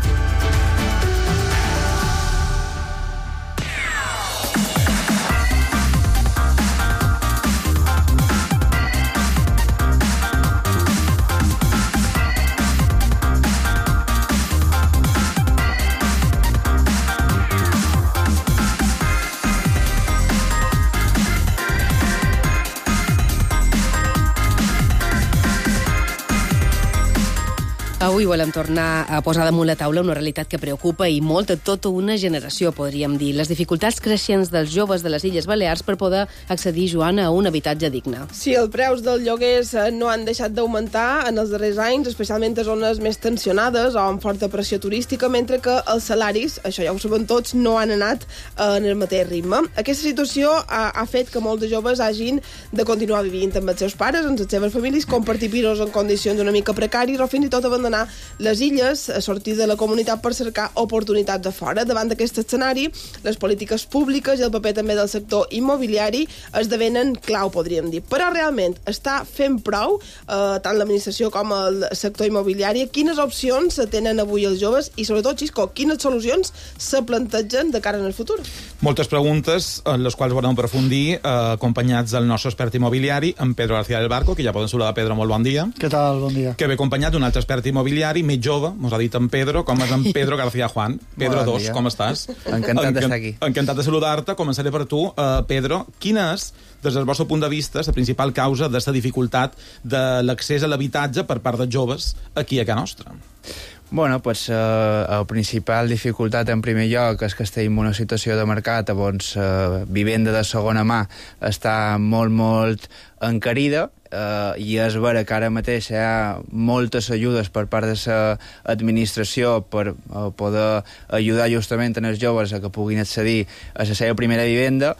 Avui volem tornar a posar damunt la taula una realitat que preocupa i molt a tota una generació, podríem dir. Les dificultats creixents dels joves de les Illes Balears per poder accedir, Joana, a un habitatge digne. Sí, els preus dels lloguers no han deixat d'augmentar en els darrers anys, especialment a zones més tensionades o amb forta pressió turística, mentre que els salaris, això ja ho sabem tots, no han anat en el mateix ritme. Aquesta situació ha, ha fet que molts de joves hagin de continuar vivint amb els seus pares, amb les seves famílies, compartir pisos en condicions una mica precàries o fins i tot abandonar les illes, a sortir de la comunitat per cercar oportunitats de fora. Davant d'aquest escenari, les polítiques públiques i el paper també del sector immobiliari esdevenen clau, podríem dir. Però realment està fent prou, eh, tant l'administració com el sector immobiliari. Quines opcions tenen avui els joves i, sobretot, Xisco, quines solucions se plantegen de cara en el futur? Moltes preguntes, en les quals volem aprofundir, eh, acompanyats del nostre expert immobiliari, en Pedro García del Barco, que ja poden saludar. Pedro, molt bon dia. Què tal? Bon dia. Que ve acompanyat d'un altre expert immobiliari, més jove, mos ha dit en Pedro, com és en Pedro García Juan. Pedro bon dos, dia. com estàs? Encantat d'estar aquí. Encantat de saludar-te. Començaré per tu, uh, Pedro. Quina és, des del vostre punt de vista, la principal causa de la dificultat de l'accés a l'habitatge per part dels joves aquí a casa nostra? Bueno, pues, eh, la principal dificultat en primer lloc és que estem en una situació de mercat on eh, vivenda de segona mà està molt, molt encarida, eh, i és vera que ara mateix hi ha moltes ajudes per part de l'administració per eh, poder ajudar justament els joves a que puguin accedir a la seva primera vivenda,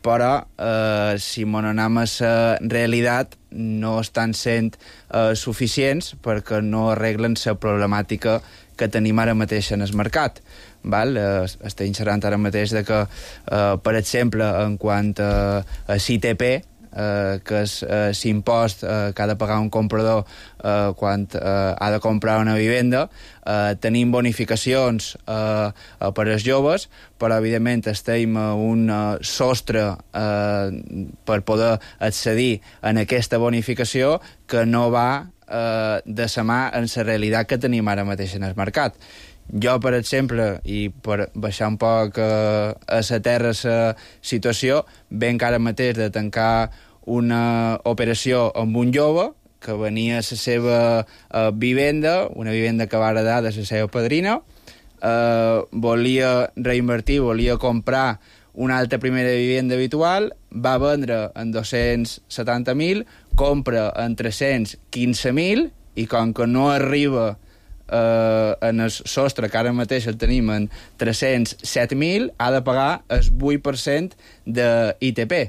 però eh, si mon anem a la realitat no estan sent eh, suficients perquè no arreglen la problemàtica que tenim ara mateix en el mercat. Val? Eh, estem xerrant ara mateix de que, eh, per exemple, en quant a, a C I T P, eh, que és eh, l'impost eh, que ha de pagar un comprador eh, quan eh, ha de comprar una vivenda, eh, tenim bonificacions eh, eh, per als joves, però evidentment estem a un eh, sostre eh, per poder accedir a aquesta bonificació que no va eh, de sa mà en la realitat que tenim ara mateix en el mercat. Jo, per exemple, i per baixar un poc eh, a la terra la situació, venc ara mateix de tancar una operació amb un jove que venia a la seva eh, vivenda, una vivenda que va heredar de la seva padrina, eh, volia reinvertir, volia comprar una altra primera vivenda habitual, va vendre en dos-cents setanta mil, compra en tres-cents quinze mil, i com que no arriba Uh, en el sostre, que ara mateix el tenim en tres-cents set mil, ha de pagar el vuit per cent de I T P.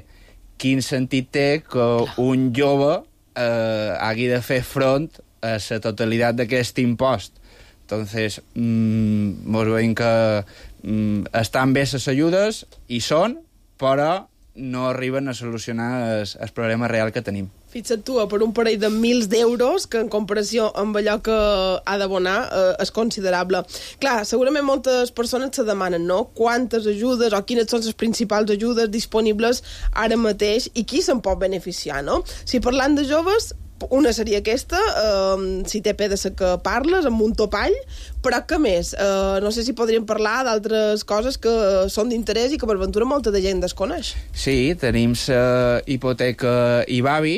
Quin sentit té que un jove uh, hagi de fer front a la totalitat d'aquest impost? Entonces, mm, mos veiem que mm, estan bé les ajudes, i són, però no arriben a solucionar el, el problema real que tenim. Fixa't tu, per un parell de mils d'euros, que en comparació amb allò que ha d'abonar eh, és considerable. Clar, segurament moltes persones se demanen, no?, quantes ajudes o quines són les principals ajudes disponibles ara mateix i qui se'n pot beneficiar, no? Si parlant de joves, una seria aquesta, eh, si té pe de ser que parles, amb un topall, però què més? Eh, no sé si podríem parlar d'altres coses que són d'interès i que per ventura molta de gent desconeix. Sí, tenim la hipoteca IBAVI,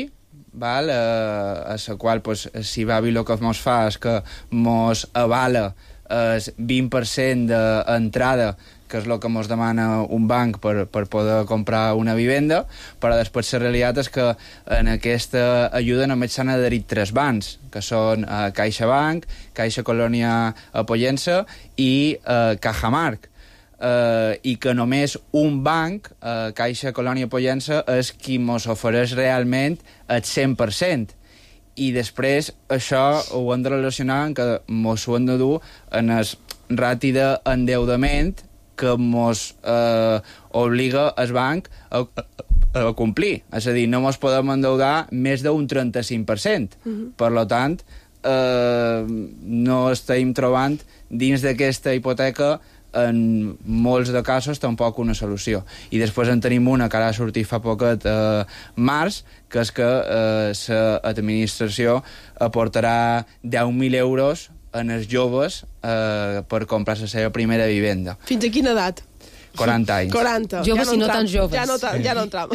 val? Eh, a la qual pues, si IBAVI el que mos fa és que mos avala el vint per cent d'entrada, que és el que ens demana un banc per, per poder comprar una vivenda, però després la realitat és que en aquesta ajuda només s'han adherit tres bancs, que són eh, CaixaBank, Caixa Colònia Pollença i eh, Cajamarc. Eh, i que només un banc, eh, Caixa Colònia Pollença, és qui ens ofereix realment el cent per cent. I després això ho hem de relacionar amb que ens ho hem de dur en el rati d'endeudament que ens eh, obliga el banc a, a, a complir. És a dir, no ens podem endeudar més d'un trenta-cinc per cent. Uh-huh. Per tant, eh, no estem trobant dins d'aquesta hipoteca en molts de casos tampoc una solució. I després en tenim una que ara ha sortit fa poquet eh, març, que és que l'administració eh, aportarà deu mil euros en els joves eh, per comprar la seva primera vivenda. Fins a quina edat? quaranta anys. quaranta. Joves ja no i no entram. tan joves. Ja no, ta- ja no entram.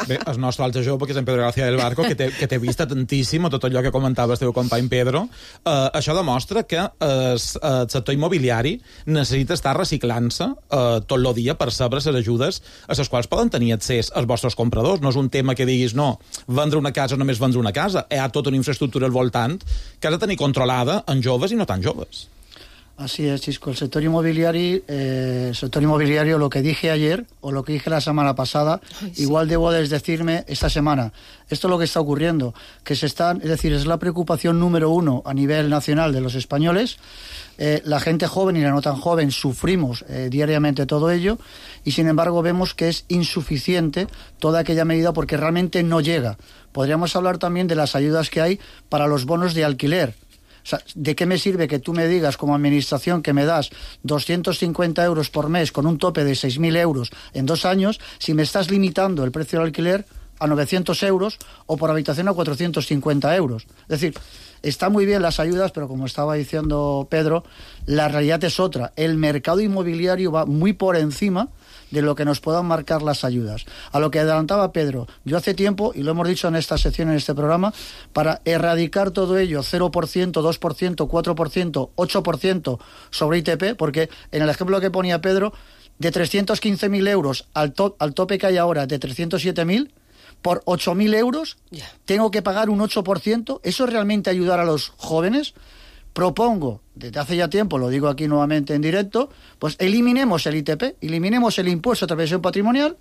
Bé, el nostre altre jove, que és en Pedro García del Barco, que té, que té vista tantíssim a tot allò que comentava el teu company Pedro, eh, això demostra que eh, el sector immobiliari necessita estar reciclant-se eh, tot el dia per saber les ajudes a les quals poden tenir accés els vostres compradors. No és un tema que diguis, no, vendre una casa o només vendre una casa. Hi ha tota una infraestructura al voltant que has de tenir controlada en joves i no tan joves. Así es, Chisco. El sector inmobiliario, eh, el sector inmobiliario, lo que dije ayer o lo que dije la semana pasada, Ay, sí. igual debo decirme esta semana. Esto es lo que está ocurriendo, que se están, es decir, es la preocupación número uno a nivel nacional de los españoles. Eh, la gente joven y la no tan joven sufrimos eh, diariamente todo ello y sin embargo vemos que es insuficiente toda aquella medida porque realmente no llega. Podríamos hablar también de las ayudas que hay para los bonos de alquiler. O sea, ¿de qué me sirve que tú me digas como administración que me das doscientos cincuenta euros por mes con un tope de seis mil euros en dos años si me estás limitando el precio del alquiler a novecientos euros o por habitación a cuatrocientos cincuenta euros? Es decir, está muy bien las ayudas, pero como estaba diciendo Pedro, la realidad es otra. El mercado inmobiliario va muy por encima de lo que nos puedan marcar las ayudas. A lo que adelantaba Pedro, yo hace tiempo, y lo hemos dicho en esta sección, en este programa, para erradicar todo ello, cero por ciento, dos por ciento, cuatro por ciento, ocho por ciento sobre I T P, porque en el ejemplo que ponía Pedro, de trescientos quince mil euros al, to al tope que hay ahora de trescientos siete mil, por ocho mil euros yeah. tengo que pagar un ocho por ciento. ¿Eso es realmente ayudar a los jóvenes? Propongo, desde hace ya tiempo, lo digo aquí nuevamente en directo, pues eliminemos el I T P, eliminemos el impuesto de transmisión patrimonial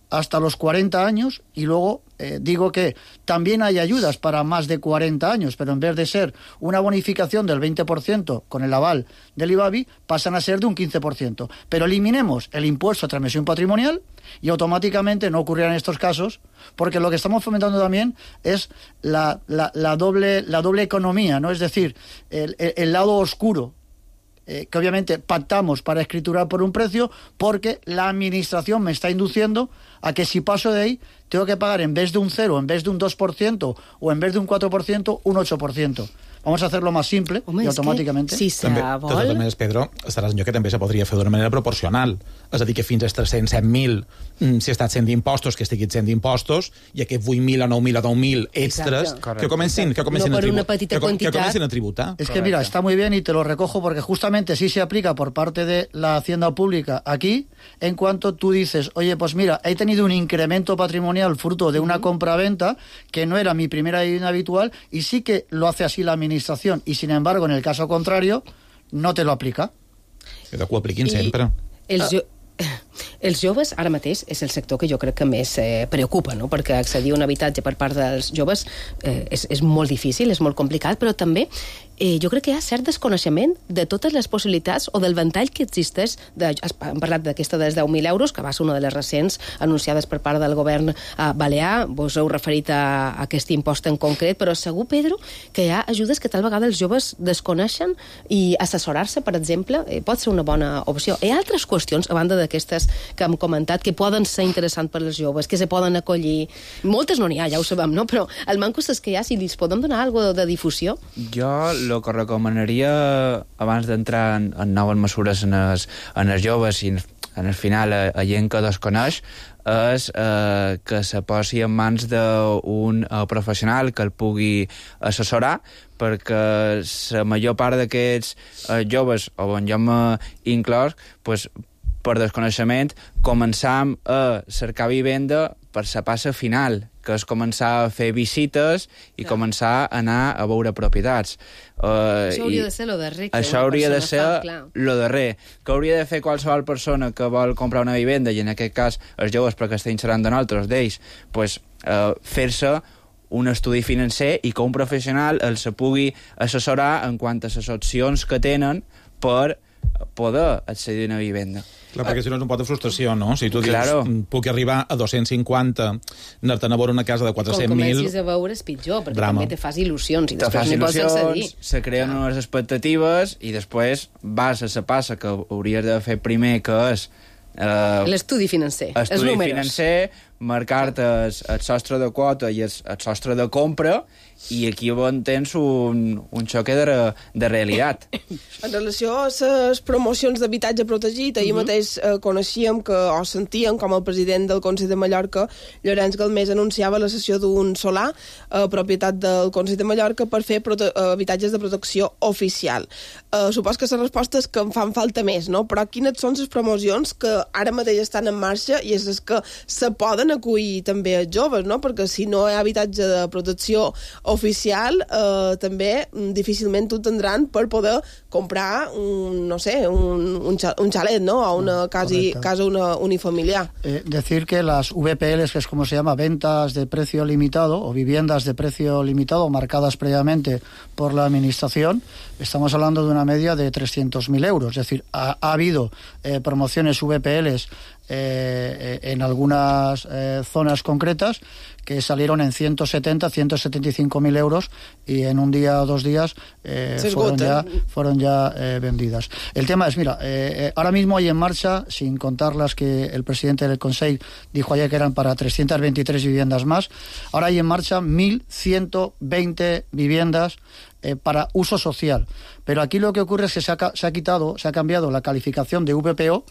hasta los cuarenta años y luego eh, digo que también hay ayudas para más de cuarenta años, pero en vez de ser una bonificación del veinte por ciento con el aval del IBABI, pasan a ser de un quince por ciento. Pero eliminemos el impuesto de transmisión patrimonial y automáticamente no ocurrirán estos casos, porque lo que estamos fomentando también es la, la, la, doble, la doble economía, ¿no? Es decir, el, el, el lado oscuro, eh, que obviamente pactamos para escriturar por un precio, porque la administración me está induciendo a que si paso de ahí tengo que pagar en vez de un cero, en vez de un dos por ciento o en vez de un cuatro por ciento, un ocho por ciento. Vamos a hacerlo más simple Home, i automàticament. Si se també, vol... De totes maneres, Pedro, estaràs en lloc que també se podria fer d'una manera proporcional. És a dir, que fins als tres-cents set mil, si estàs sent d'impostos, que estiguis sent d'impostos, i aquests vuit mil o nou mil o deu mil extras, que comencin, que comencin, no a, tribu una petita que, quantitat. que comencin a tributar. Es que mira, está muy bien y te lo recojo porque justamente sí se aplica por parte de la Hacienda Pública aquí, en cuanto tú dices, oye, pues mira, he tenido un incremento patrimonial fruto de una compra-venta que no era mi primera vivienda habitual y sí que lo hace así la administración y sin embargo, en el caso contrario, no te lo aplica. Que ho apliquin sempre. Els, jo... els joves, ara mateix, és el sector que jo crec que més eh, preocupa, no? Perquè accedir a un habitatge per part dels joves eh, és, és molt difícil, és molt complicat, però també eh, jo crec que hi ha cert desconeixement de totes les possibilitats o del ventall que existeix. De, hem parlat d'aquesta dels deu mil euros, que va ser una de les recents anunciades per part del govern eh, balear. Vos heu referit a, a aquest impost en concret, però segur, Pedro, que hi ha ajudes que tal vegada els joves desconeixen i assessorar-se, per exemple, eh, pot ser una bona opció. Hi ha altres qüestions, a banda d'aquestes que hem comentat, que poden ser interessants per als joves, que se poden acollir. Moltes no n'hi ha, ja ho sabem, no? Però el manco és que hi ha, si li podem donar alguna de difusió. Jo el que recomanaria, abans d'entrar en, en noves mesures en els, en els joves i en el final a, a gent que desconeix, és eh, que se posi en mans d'un eh, professional que el pugui assessorar, perquè la major part d'aquests eh, joves, on jo m'he inclòs, pues, per desconeixement, començam a cercar vivenda per la passa final, que és començar a fer visites i Clar. començar a anar a veure propietats. Uh, això hauria de ser lo darrer. Això hauria de ser lo darrer. Que hauria de fer qualsevol persona que vol comprar una vivenda, i en aquest cas els joves, perquè estem xerrant de nosaltres, d'ells, pues, uh, fer-se un estudi financer i que un professional els pugui assessorar en quant a les opcions que tenen per poder accedir a una vivenda. Clar, perquè si no és un pot de frustració, no? Si tu dius, claro. puc arribar a dos-cents cinquanta, anar-te'n a veure una casa de quatre-cents mil... Com comencis a veure és pitjor, perquè drama. també te fas il·lusions i te després n'hi pots accedir. Se creen unes expectatives i després vas a la passa que hauries de fer primer, que és... Eh, l'estudi financer, estudi els números. financer, marcar-te el, el sostre de quota i el, el sostre de compra, i aquí on tens un, un xoque de, de realitat. En relació a les promocions d'habitatge protegit, ahir uh -huh. mateix eh, coneixíem que, o sentíem com el president del Consell de Mallorca, Llorenç Galmés, anunciava la cessió d'un solar, eh, propietat del Consell de Mallorca, per fer eh, habitatges de protecció oficial. Eh, supos que la resposta és que en fan falta més, no? Però quines són les promocions que ara mateix estan en marxa i és les que se poden acollir també els joves, no? Perquè si no hi ha habitatge de protecció oficial, eh, també difícilment ho tindran per poder comprar un, no sé, un, un, un xalet, ¿no? O una casi, casa una, unifamiliar. Eh, decir que las V P Ls, que es como se llama, ventas de precio limitado o viviendas de precio limitado marcadas previamente por la administración, estamos hablando de una media de trescientos mil euros. Es decir, ha, ha habido eh, promociones V P Ls eh, en algunas eh, zonas concretas que salieron en ciento setenta, ciento setenta y cinco mil euros y en un día o dos días eh, fueron ya, fueron ya eh, vendidas. El tema es, mira, eh, ahora mismo hay en marcha, sin contar las que el presidente del Consejo dijo ayer que eran para trescientas veintitrés viviendas más, ahora hay en marcha mil ciento veinte viviendas eh, para uso social. Pero aquí lo que ocurre es que se ha, se ha quitado, se ha cambiado la calificación de V P O,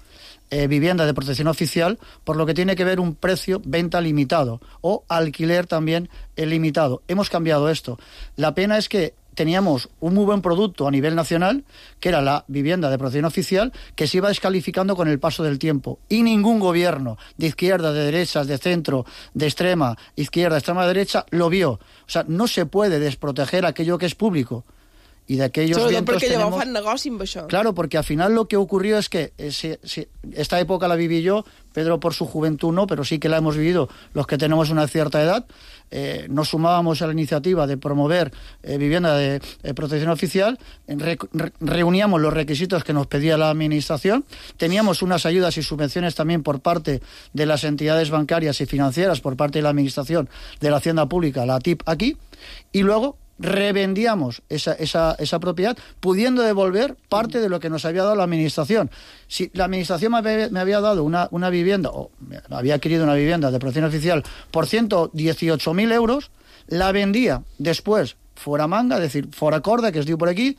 Eh, vivienda de protección oficial, por lo que tiene que ver un precio venta limitado o alquiler también eh, limitado. Hemos cambiado esto. La pena es que teníamos un muy buen producto a nivel nacional, que era la vivienda de protección oficial, que se iba descalificando con el paso del tiempo. Y ningún gobierno de izquierda, de derechas, de centro, de extrema izquierda, extrema derecha, lo vio. O sea, no se puede desproteger aquello que es público. Y de aquellos vientos tenemos... Claro, porque al final lo que ocurrió es que eh, si, si, esta época la viví yo, Pedro por su juventud no, pero sí que la hemos vivido los que tenemos una cierta edad. Eh, nos sumábamos a la iniciativa de promover eh, vivienda de eh, protección oficial, re, re, reuníamos los requisitos que nos pedía la administración, teníamos unas ayudas y subvenciones también por parte de las entidades bancarias y financieras, por parte de la administración de la Hacienda Pública, la A T I P aquí, y luego revendíamos esa, esa, esa propiedad, pudiendo devolver parte de lo que nos había dado la administración. Si la administración me había, me había dado una, una vivienda, o había adquirido una vivienda de protección oficial por ciento dieciocho mil euros, la vendía después fuera manga, es decir, fuera corda, que es digo por aquí,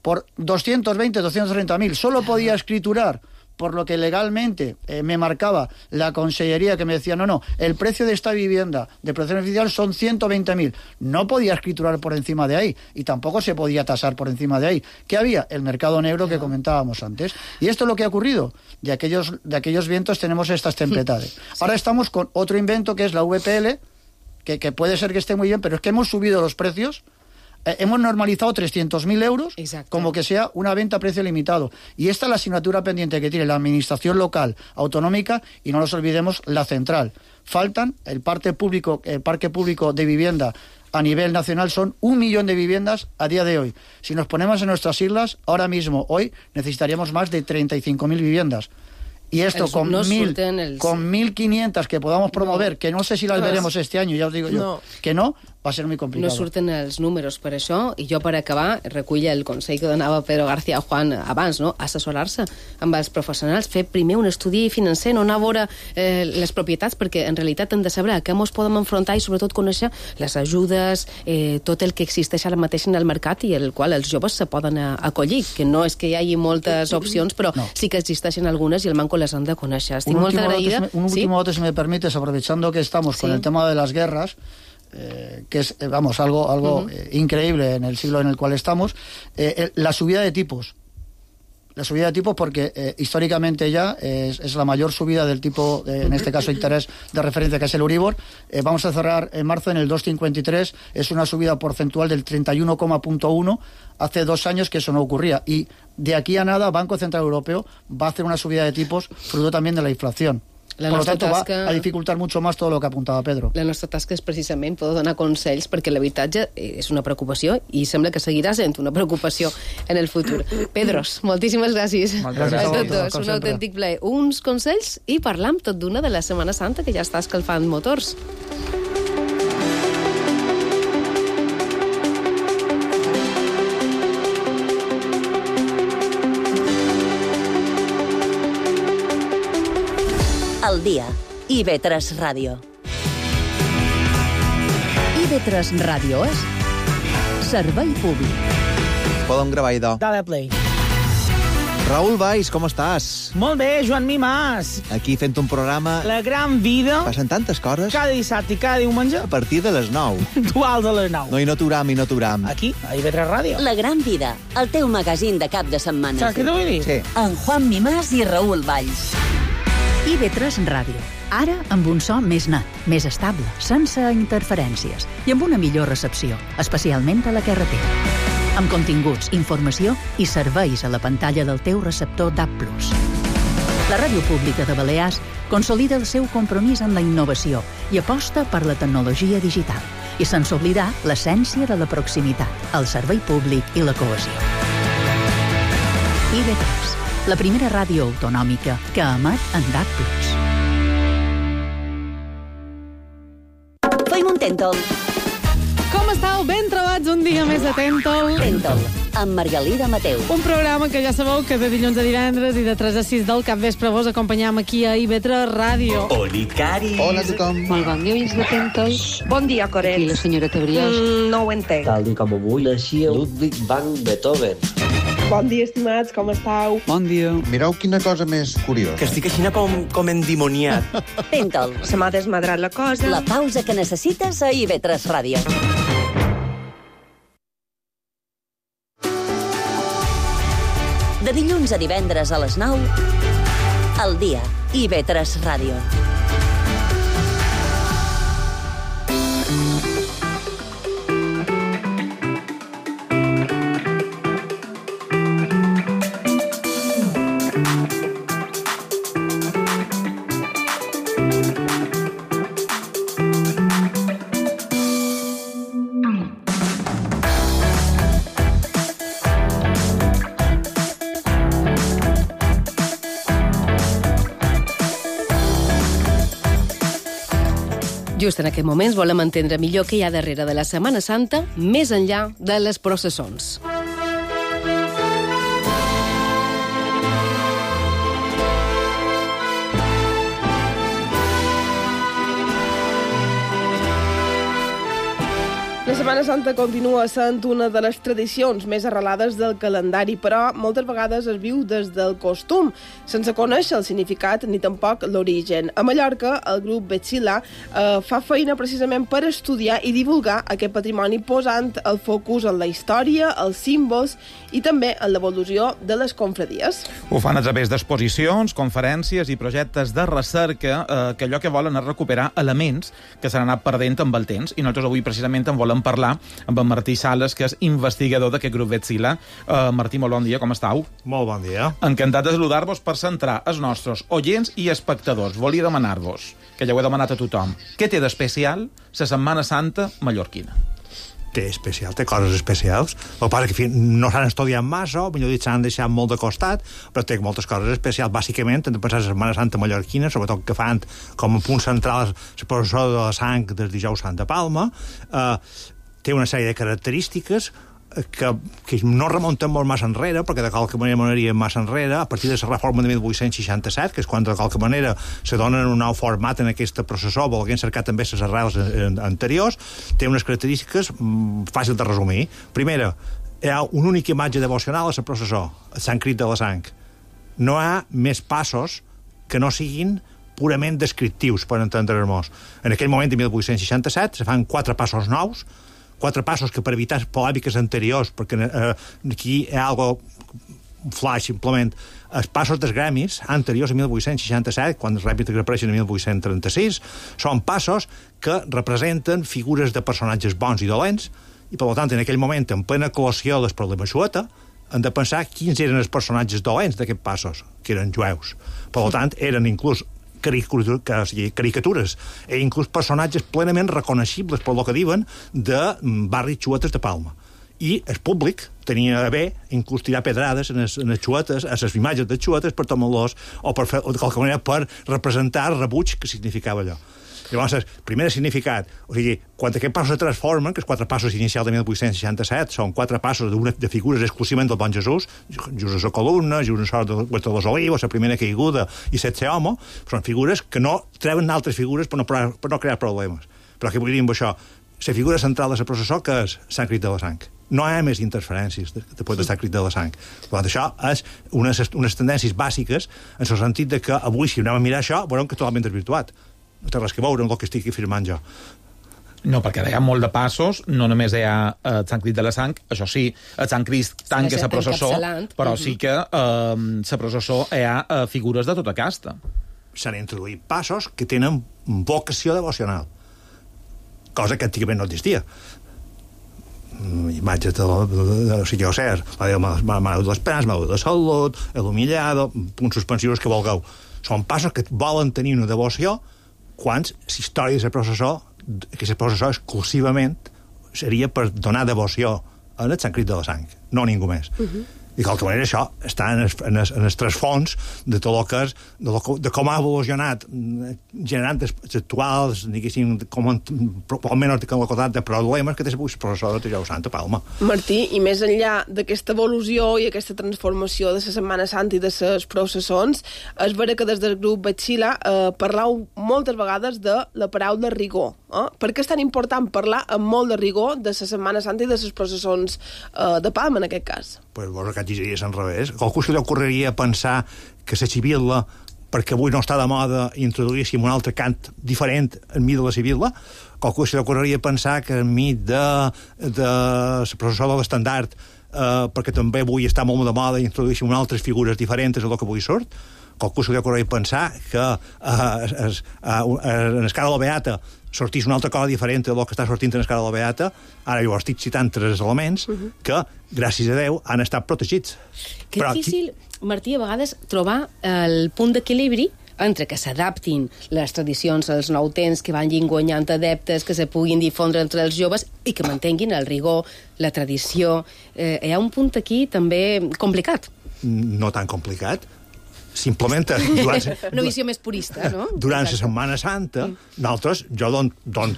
por doscientos veinte, doscientos treinta mil. Solo podía escriturar por lo que legalmente eh, me marcaba la consellería, que me decía, no, no, el precio de esta vivienda de protección oficial son ciento veinte mil. No podía escriturar por encima de ahí y tampoco se podía tasar por encima de ahí. ¿Qué había? El mercado negro que comentábamos antes. Y esto es lo que ha ocurrido. De aquellos, de aquellos vientos tenemos estas tempestades. Sí. Ahora estamos con otro invento que es la V P L, que, que puede ser que esté muy bien, pero es que hemos subido los precios. Eh, hemos normalizado trescientos mil euros. Exacto. Como que sea una venta a precio limitado. Y esta es la asignatura pendiente que tiene la administración local, autonómica, y no nos olvidemos la central. Faltan el parque público, el parque público de vivienda a nivel nacional, son un millón de viviendas a día de hoy. Si nos ponemos en nuestras islas, ahora mismo, hoy, necesitaríamos más de treinta y cinco mil viviendas. Y esto con no mil, el... con mil quinientas que podamos promover, no. que no sé si las no, veremos este año, ja us digo jo, no. que no, va a ser muy complicado. No surten els números per això, i jo per acabar recull el consell que donava Pedro García Juan abans, no? Assessorar-se amb els professionals, fer primer un estudi financer, no anar a veure eh, les propietats, perquè en realitat hem de saber a què ens podem enfrontar i sobretot conèixer les ajudes, eh, tot el que existeix ara mateix en el mercat i el qual els joves se poden acollir, que no és que hi hagi moltes opcions, però no. sí que existeixen algunes i el manco les han de conèixer. Estic molt agraïda. Dato, un último dato, ¿sí? si me permites, aprovechando que estamos sí. con el tema de las guerras, eh, que es, vamos, algo, algo uh-huh. eh, increíble en el siglo en el cual estamos, eh, eh, la subida de tipos. La subida de tipos porque eh, históricamente ya es, es la mayor subida del tipo, eh, en este caso interés de referencia, que es el Euribor. Eh, vamos a cerrar en marzo en el dos coma cincuenta y tres, es una subida porcentual del treinta y uno coma uno. Hace dos años que eso no ocurría. Y de aquí a nada, Banco Central Europeo va a hacer una subida de tipos, fruto también de la inflación. La Por lo tanto, tasca... va a dificultar mucho más todo lo que apuntava Pedro. La nostra tasca és precisament poder donar consells, perquè l'habitatge és una preocupació i sembla que seguirà sent una preocupació en el futur. Pedros, moltíssimes gràcies. Moltes gràcies a tots dos. Un autèntic plaer. Uns consells i parlam tot d'una de la Setmana Santa, que ja està escalfant motors. Al dia, I V tres Ràdio. I V tres Ràdio és servei públic. Podem gravar, idò. Dale play. Raül Valls, com estàs? Molt bé, Joan Mimàs. Aquí fent un programa... La gran vida. Passen tantes coses. Cada dissabte i cada diumenge. A partir de les nou. Dual de les nou. No, i no t'uram, i no t'uram. Aquí, a I V tres Ràdio. La gran vida, el teu magazín de cap de setmana. Saps què t'ho vull dir? Sí. En Juan Mimàs i Raül Valls. I V tres Ràdio. Ara amb un so més net, més estable, sense interferències i amb una millor recepció, especialment a la carretera. Amb continguts, informació i serveis a la pantalla del teu receptor D A B plus. La Ràdio Pública de Balears consolida el seu compromís amb la innovació i aposta per la tecnologia digital, i sense oblidar l'essència de la proximitat, el servei públic i la cohesió. I V tres, la primera ràdio autonòmica que emet en D A B plus. Feim un Tentol. Com estàu? Ben trobats un dia més de Tentol. Tentol, amb Margalida Mateu. Un programa que ja sabeu que de dilluns a divendres i de tres a sis del capvespre vos acompanyam aquí a I V tres Ràdio. Oli, Cari. Hola a tothom. Molt bon dia, oients de Tentol. Bon dia, Coret. Aquí la senyora Tebriós. Mm, no ho entenc. Tal dia com avui naixia Ludwig van Beethoven. Bon dia, estimats, com estàu? Bon dia. Mireu quina cosa més curiosa. Que estic així com, com endimoniat. Tentol. Se m'ha desmadrat la cosa. La pausa que necessites a I V tres Ràdio. De dilluns a divendres a les nou, al dia, I V tres Ràdio. Just en aquest moments volem entendre millor què hi ha darrere de la Setmana Santa, més enllà de les processons. La Setmana Santa continua sent una de les tradicions més arrelades del calendari, però moltes vegades es viu des del costum, sense conèixer el significat ni tampoc l'origen. A Mallorca, el grup Betzila eh, fa feina precisament per estudiar i divulgar aquest patrimoni, posant el focus en la història, els símbols i també en l'evolució de les confradies. Ho fan a través d'exposicions, conferències i projectes de recerca eh, que allò que volen és recuperar elements que s'han anat perdent amb el temps, i nosaltres avui precisament en volem parlar amb en Martí Sales, que és investigador d'aquest grup Betzila. Uh, Martí, molt bon dia, com estàu? Molt bon dia. Encantat de saludar-vos per centrar els nostres oients i espectadors. Volia demanar-vos, que ja ho he demanat a tothom, què té d'especial la Setmana Santa mallorquina? Té especial, té coses especials. El que passa que no s'han estudiat massa, o millor dit, s'han deixat molt de costat, però té moltes coses especials. Bàsicament, hem de pensar la Setmana Santa mallorquina, sobretot que fan com a punt central la processó de la sang del dijous Sant de Palma. Eh, té una sèrie de característiques que, que no remunten molt massa enrere, perquè de qualque manera m'aniria massa enrere, a partir de la reforma de mil vuit-cents seixanta-set, que és quan de qualque manera se donen un nou format en aquesta processó, volguent cercar també les arrels anteriors. Té unes característiques mm, fàcil de resumir. Primera, hi ha una única imatge devocional a la processó, el Sant Crit de la Sang. No hi ha més passos que no siguin purament descriptius, per entendre-nos. En aquell moment de mil vuit-cents seixanta-set se fan quatre passos nous, quatre passos que per evitar polèmiques anteriors, perquè eh, aquí hi ha algo, un flash simplement, els passos dels gremis anteriors a mil vuit-cents seixanta-set, quan els rèpites apareixen a mil vuit-cents trenta-sis, són passos que representen figures de personatges bons i dolents, i per tant, en aquell moment, en plena col·loció dels problemes xueta, hem de pensar quins eren els personatges dolents d'aquests passos, que eren jueus. Per tant, eren inclús caricatures e inclús personatges plenament reconeixibles per lo que diuen de barris xuetes de Palma. I el públic tenia a bé inclús tirar pedrades en les, en les xuetes, a les imatges de xuetes per tomar-los, o per fer, o de qualque manera per representar el rebuig que significava allò. Llavors, el primer significat, o sigui, quan aquests passos se transformen, que els quatre passos inicials de mil vuit-cents seixanta-set són quatre passos de, de figures exclusivament del bon Jesús, Jesús a columna, Jesús a sort de Huerta de los Olivos, la primera caiguda i setze homo, són figures que no treuen altres figures per no, per no crear problemes. Però què vull dir amb això? La figura central de la processó, que és Sant Crit de la Sang. No hi ha més interferències després de Sant Crit de la Sang. Per tant, això és unes, unes tendències bàsiques en el sentit de que avui, si anem a mirar això, veurem que totalment desvirtuat. No té res que veure amb el que estic afirmant jo. No, perquè hi ha molt de passos, no només hi ha el eh, Sant Crit de la Sang, això sí, el Sant Crist tanca la processó, però sí que la eh, processó hi ha eh, figures de tota casta. S'han introduït passos que tenen vocació devocional, cosa que antigament no existia. Imatges de, de, de, de, o sigui, o ser, la de Mare de les Penes, Mare de Salut, el Humillado, punts suspensius que vulgueu. Són passos que volen tenir una devoció quan la història de la processó, que la processó exclusivament seria per donar devoció al Sant Crit de la Sang, no ningú més. Uh-huh. I de qualque manera això està en el, en el, en el trasfons de tot el que és, de, lo, de com ha evolucionat, generant els actuals, diguéssim, com almenys la quantitat de problemes que té el professor de Tejau Santa Palma. Martí, i més enllà d'aquesta evolució i aquesta transformació de la Setmana Santa i de les processons, és vera que des del grup Batxila eh, parlau moltes vegades de la paraula rigor. Eh? Per què és tan important parlar amb molt de rigor de la Setmana Santa i de les processons eh, de Palma, en aquest cas? Pues vos que diries al revés. Qualcú se li ocorreria pensar que la civil·la, perquè avui no està de moda, introduíssim un altre cant diferent enmig de la civil·la? Qualcú se li ocorreria pensar que enmig de, de la processó de l'estandard, eh, perquè també avui està molt de moda, introduïssim unes altres figures diferents del que avui surt? Qualcú se li ocorreria pensar que eh, es, eh, en escala de la Beata sortís una altra cosa diferent del que està sortint en escala de la Beata. Ara jo estic citant tres elements uh -huh. que, gràcies a Déu, han estat protegits. Que Però difícil, aquí... Martí, a vegades trobar el punt d'equilibri entre que s'adaptin les tradicions als nou temps, que vagin guanyant adeptes, que se puguin difondre entre els joves i que mantenguin el rigor, la tradició. Eh, hi ha un punt aquí també complicat. No tan complicat. Simplement durant, una visió més purista, no? Durant la Setmana Santa, nosaltres, jo don, don,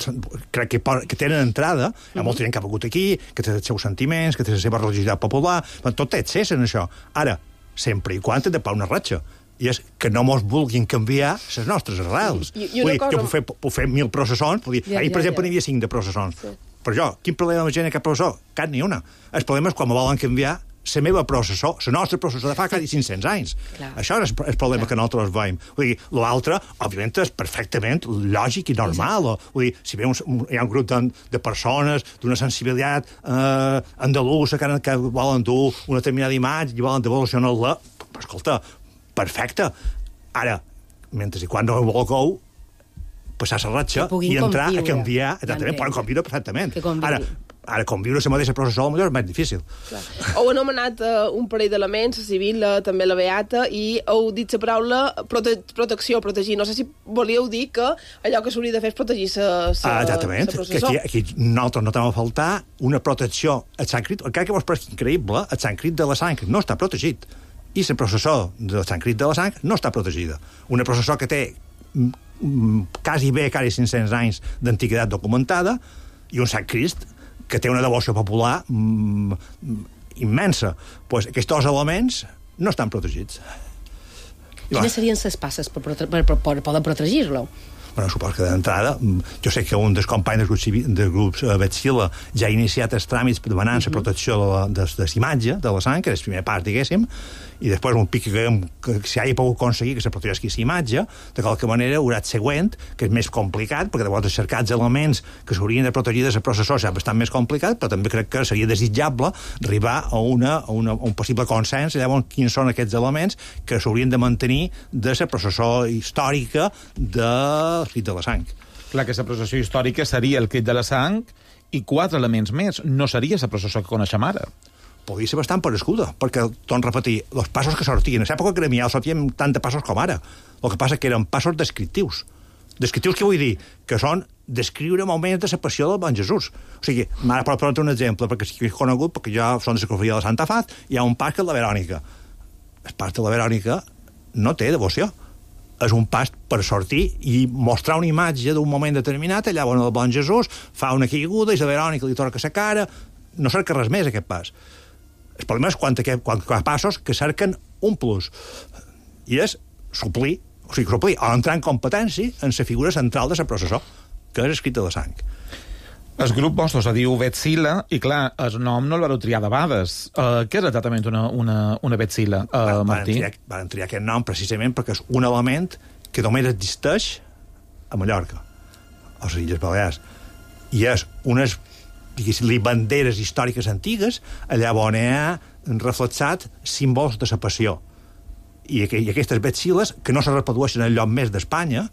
crec que, que tenen entrada, hi ha molta gent que ha vingut aquí, que té els seus sentiments, que té la seva religiositat popular, tot té accés en això. Ara, sempre i quan té de pa una ratxa, i és que no mos vulguin canviar les nostres arrels. I, i Vull dir, cosa... jo puc fer, puc fer mil processons, puc dir, ja, ahir, per ja, exemple, ja. n'hi havia cinc de processons. Sí. Però jo, quin problema amb la gent que processó? Cap ni una. El problema és quan me volen canviar la meva processó, la nostra processó de fa quasi cinc-cents anys. Clar. Això és el problema Clar. que nosaltres veiem. Vull dir, l'altre, òbviament, és perfectament lògic i normal. O, vull dir, si ve un, hi ha un grup de, de persones d'una sensibilitat eh, andalusa que, que volen dur una determinada imatge i volen devolucionar-la, escolta, perfecte. Ara, mentre i quan no ho vulgueu, passar la ratxa i entrar conviure. a canviar, exactament, poden conviure perfectament. Ara, ara conviure la mateixa processó potser és més difícil. Clar. Heu anomenat uh, un parell d'elements, la civil, uh, també la beata, i heu dit la paraula prote protecció, protegir. No sé si volíeu dir que allò que s'hauria de fer és protegir la processó. Ah, exactament, que aquí, aquí nosaltres notem a faltar una protecció al Sant Crit. Encara que vos pareix increïble, el Sant Crit de la Sang no està protegit. I la processó del Sant Crit de la Sang no està protegida. Una processó que té quasi bé, quasi cinc-cents anys d'antiguitat documentada, i un Sant Crist que té una devoció popular mm, immensa. Pues aquests dos elements no estan protegits. Quines serien les passes per, per, per, per poder protegir-lo? Bueno, suposo que d'entrada, jo sé que un dels companys dels grups, del grup Batxila ja ha iniciat els tràmits per demanar la protecció de la, de, de l'imatge, de la sang, que és el primer pas, diguéssim, i després un pic que, que si hagi pogut aconseguir que se protegeixi la imatge, de qualque manera haurà el següent, que és més complicat, perquè de vegades cercar els elements que s'haurien de protegir de la processó és bastant més complicat, però també crec que seria desitjable arribar a, una, a, una, a un possible consens, llavors quins són aquests elements que s'haurien de mantenir de la processó històrica de Crit de la Sang. Clar que la processó històrica seria el Crit de la Sang i quatre elements més. No seria la processó que coneixem ara. Podria ser bastant parescuda, perquè, torno a repetir, els passos que sortien, en l'època gremial sortíem tant de passos com ara. El que passa que eren passos descriptius. Descriptius què vull dir? Que són descriure moments de la passió del bon Jesús. O sigui, ara per posar un exemple, perquè si és conegut, perquè ja són de la cofreria de la Santa Fat, hi ha un pas que és la Verònica. El pas de la Verònica no té devoció. és un pas per sortir i mostrar una imatge d'un moment determinat, allà on el bon Jesús fa una caiguda i la Verònica li torca la cara, no cerca res més aquest pas. El problema és quan, quan, quan passos que cerquen un plus, i és suplir, o sigui, suplir o entrar en competència en la figura central de la processó, que és escrita de sang. El grup vostre se diu Betzila i, clar, el nom no el vareu triar de bades. Uh, què és exactament una, una, una Betzila, uh, Martí? Van triar, van triar aquest nom precisament perquè és un element que només existeix a Mallorca, a les Illes Balears. I és unes, diguéssim, banderes històriques antigues, allà on hi ha reflexat símbols de la passió. I, I aquestes Betziles, que no se reprodueixen en lloc més d'Espanya,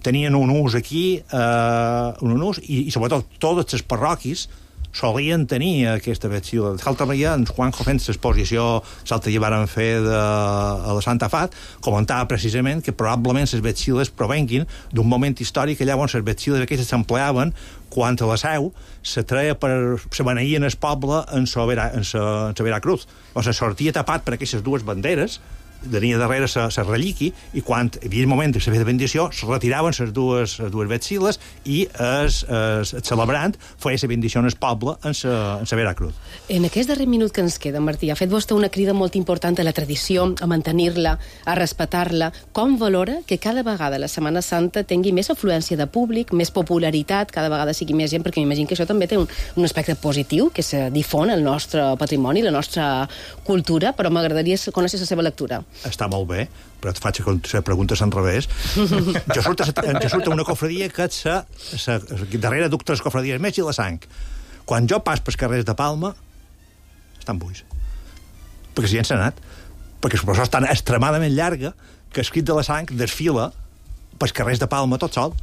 tenien un ús aquí, eh, un ús, i, i sobretot totes les parròquies solien tenir aquesta Betzila. D'altra manera, en Juanjo fent l'exposició l'altre dia varen fer de, a la Santa Fat, comentava precisament que probablement les Betziles provenguin d'un moment històric allà on les Betziles aquestes s'empleaven quan a la Seu se treia per... se beneïen el poble en sa Vera, en sa, en sa Veracruz. O se sortia tapat per aquestes dues banderes, tenia darrere la relíqui, i quan hi havia el moment de la bendició, se retiraven les dues, les dues Betziles i el, el, el celebrant feia la bendició en el poble en la Veracruz. En aquest darrer minut que ens queda, Martí, ha fet vostè una crida molt important a la tradició, a mantenir-la, a respectar-la. Com valora que cada vegada la Setmana Santa tingui més afluència de públic, més popularitat, cada vegada sigui més gent, perquè m'imagino que això també té un, un aspecte positiu, que se difon el nostre patrimoni, la nostra cultura, però m'agradaria conèixer la seva lectura. Està molt bé, però et faig la pregunta en revés. Jo surt, jo surt una cofradia que és la, la, darrere duc tres cofradies més i la sang. Quan jo pas pels carrers de Palma, estan buits. Perquè si ja s'ha anat. Perquè la processó és tan extremadament llarga que escrit de la sang desfila pels carrers de Palma tot sol.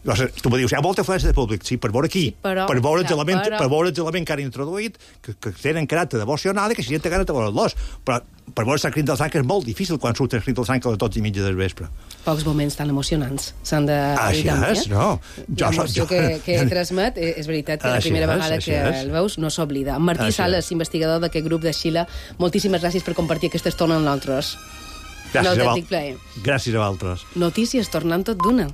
Tu me dius, hi ha molta afluència de públic, sí, per veure aquí, sí, però, per veure els elements però... per veure els elements que han introduït, que, que tenen caràcter devocional i que si gent té gana de veure'ls. Però per veure el crit del sang és molt difícil quan surt el crit del sang a les dotze i mitja del vespre. Pocs moments tan emocionants s'han de... Així és, no. L'emoció que, que transmet, és veritat que la primera vegada que el veus no s'oblida. Martí Sales, investigador d'aquest grup de Xile, moltíssimes gràcies per compartir aquesta estona amb nosaltres. Gràcies a vosaltres. Gràcies a vosaltres. Notícies tornant tot d'una.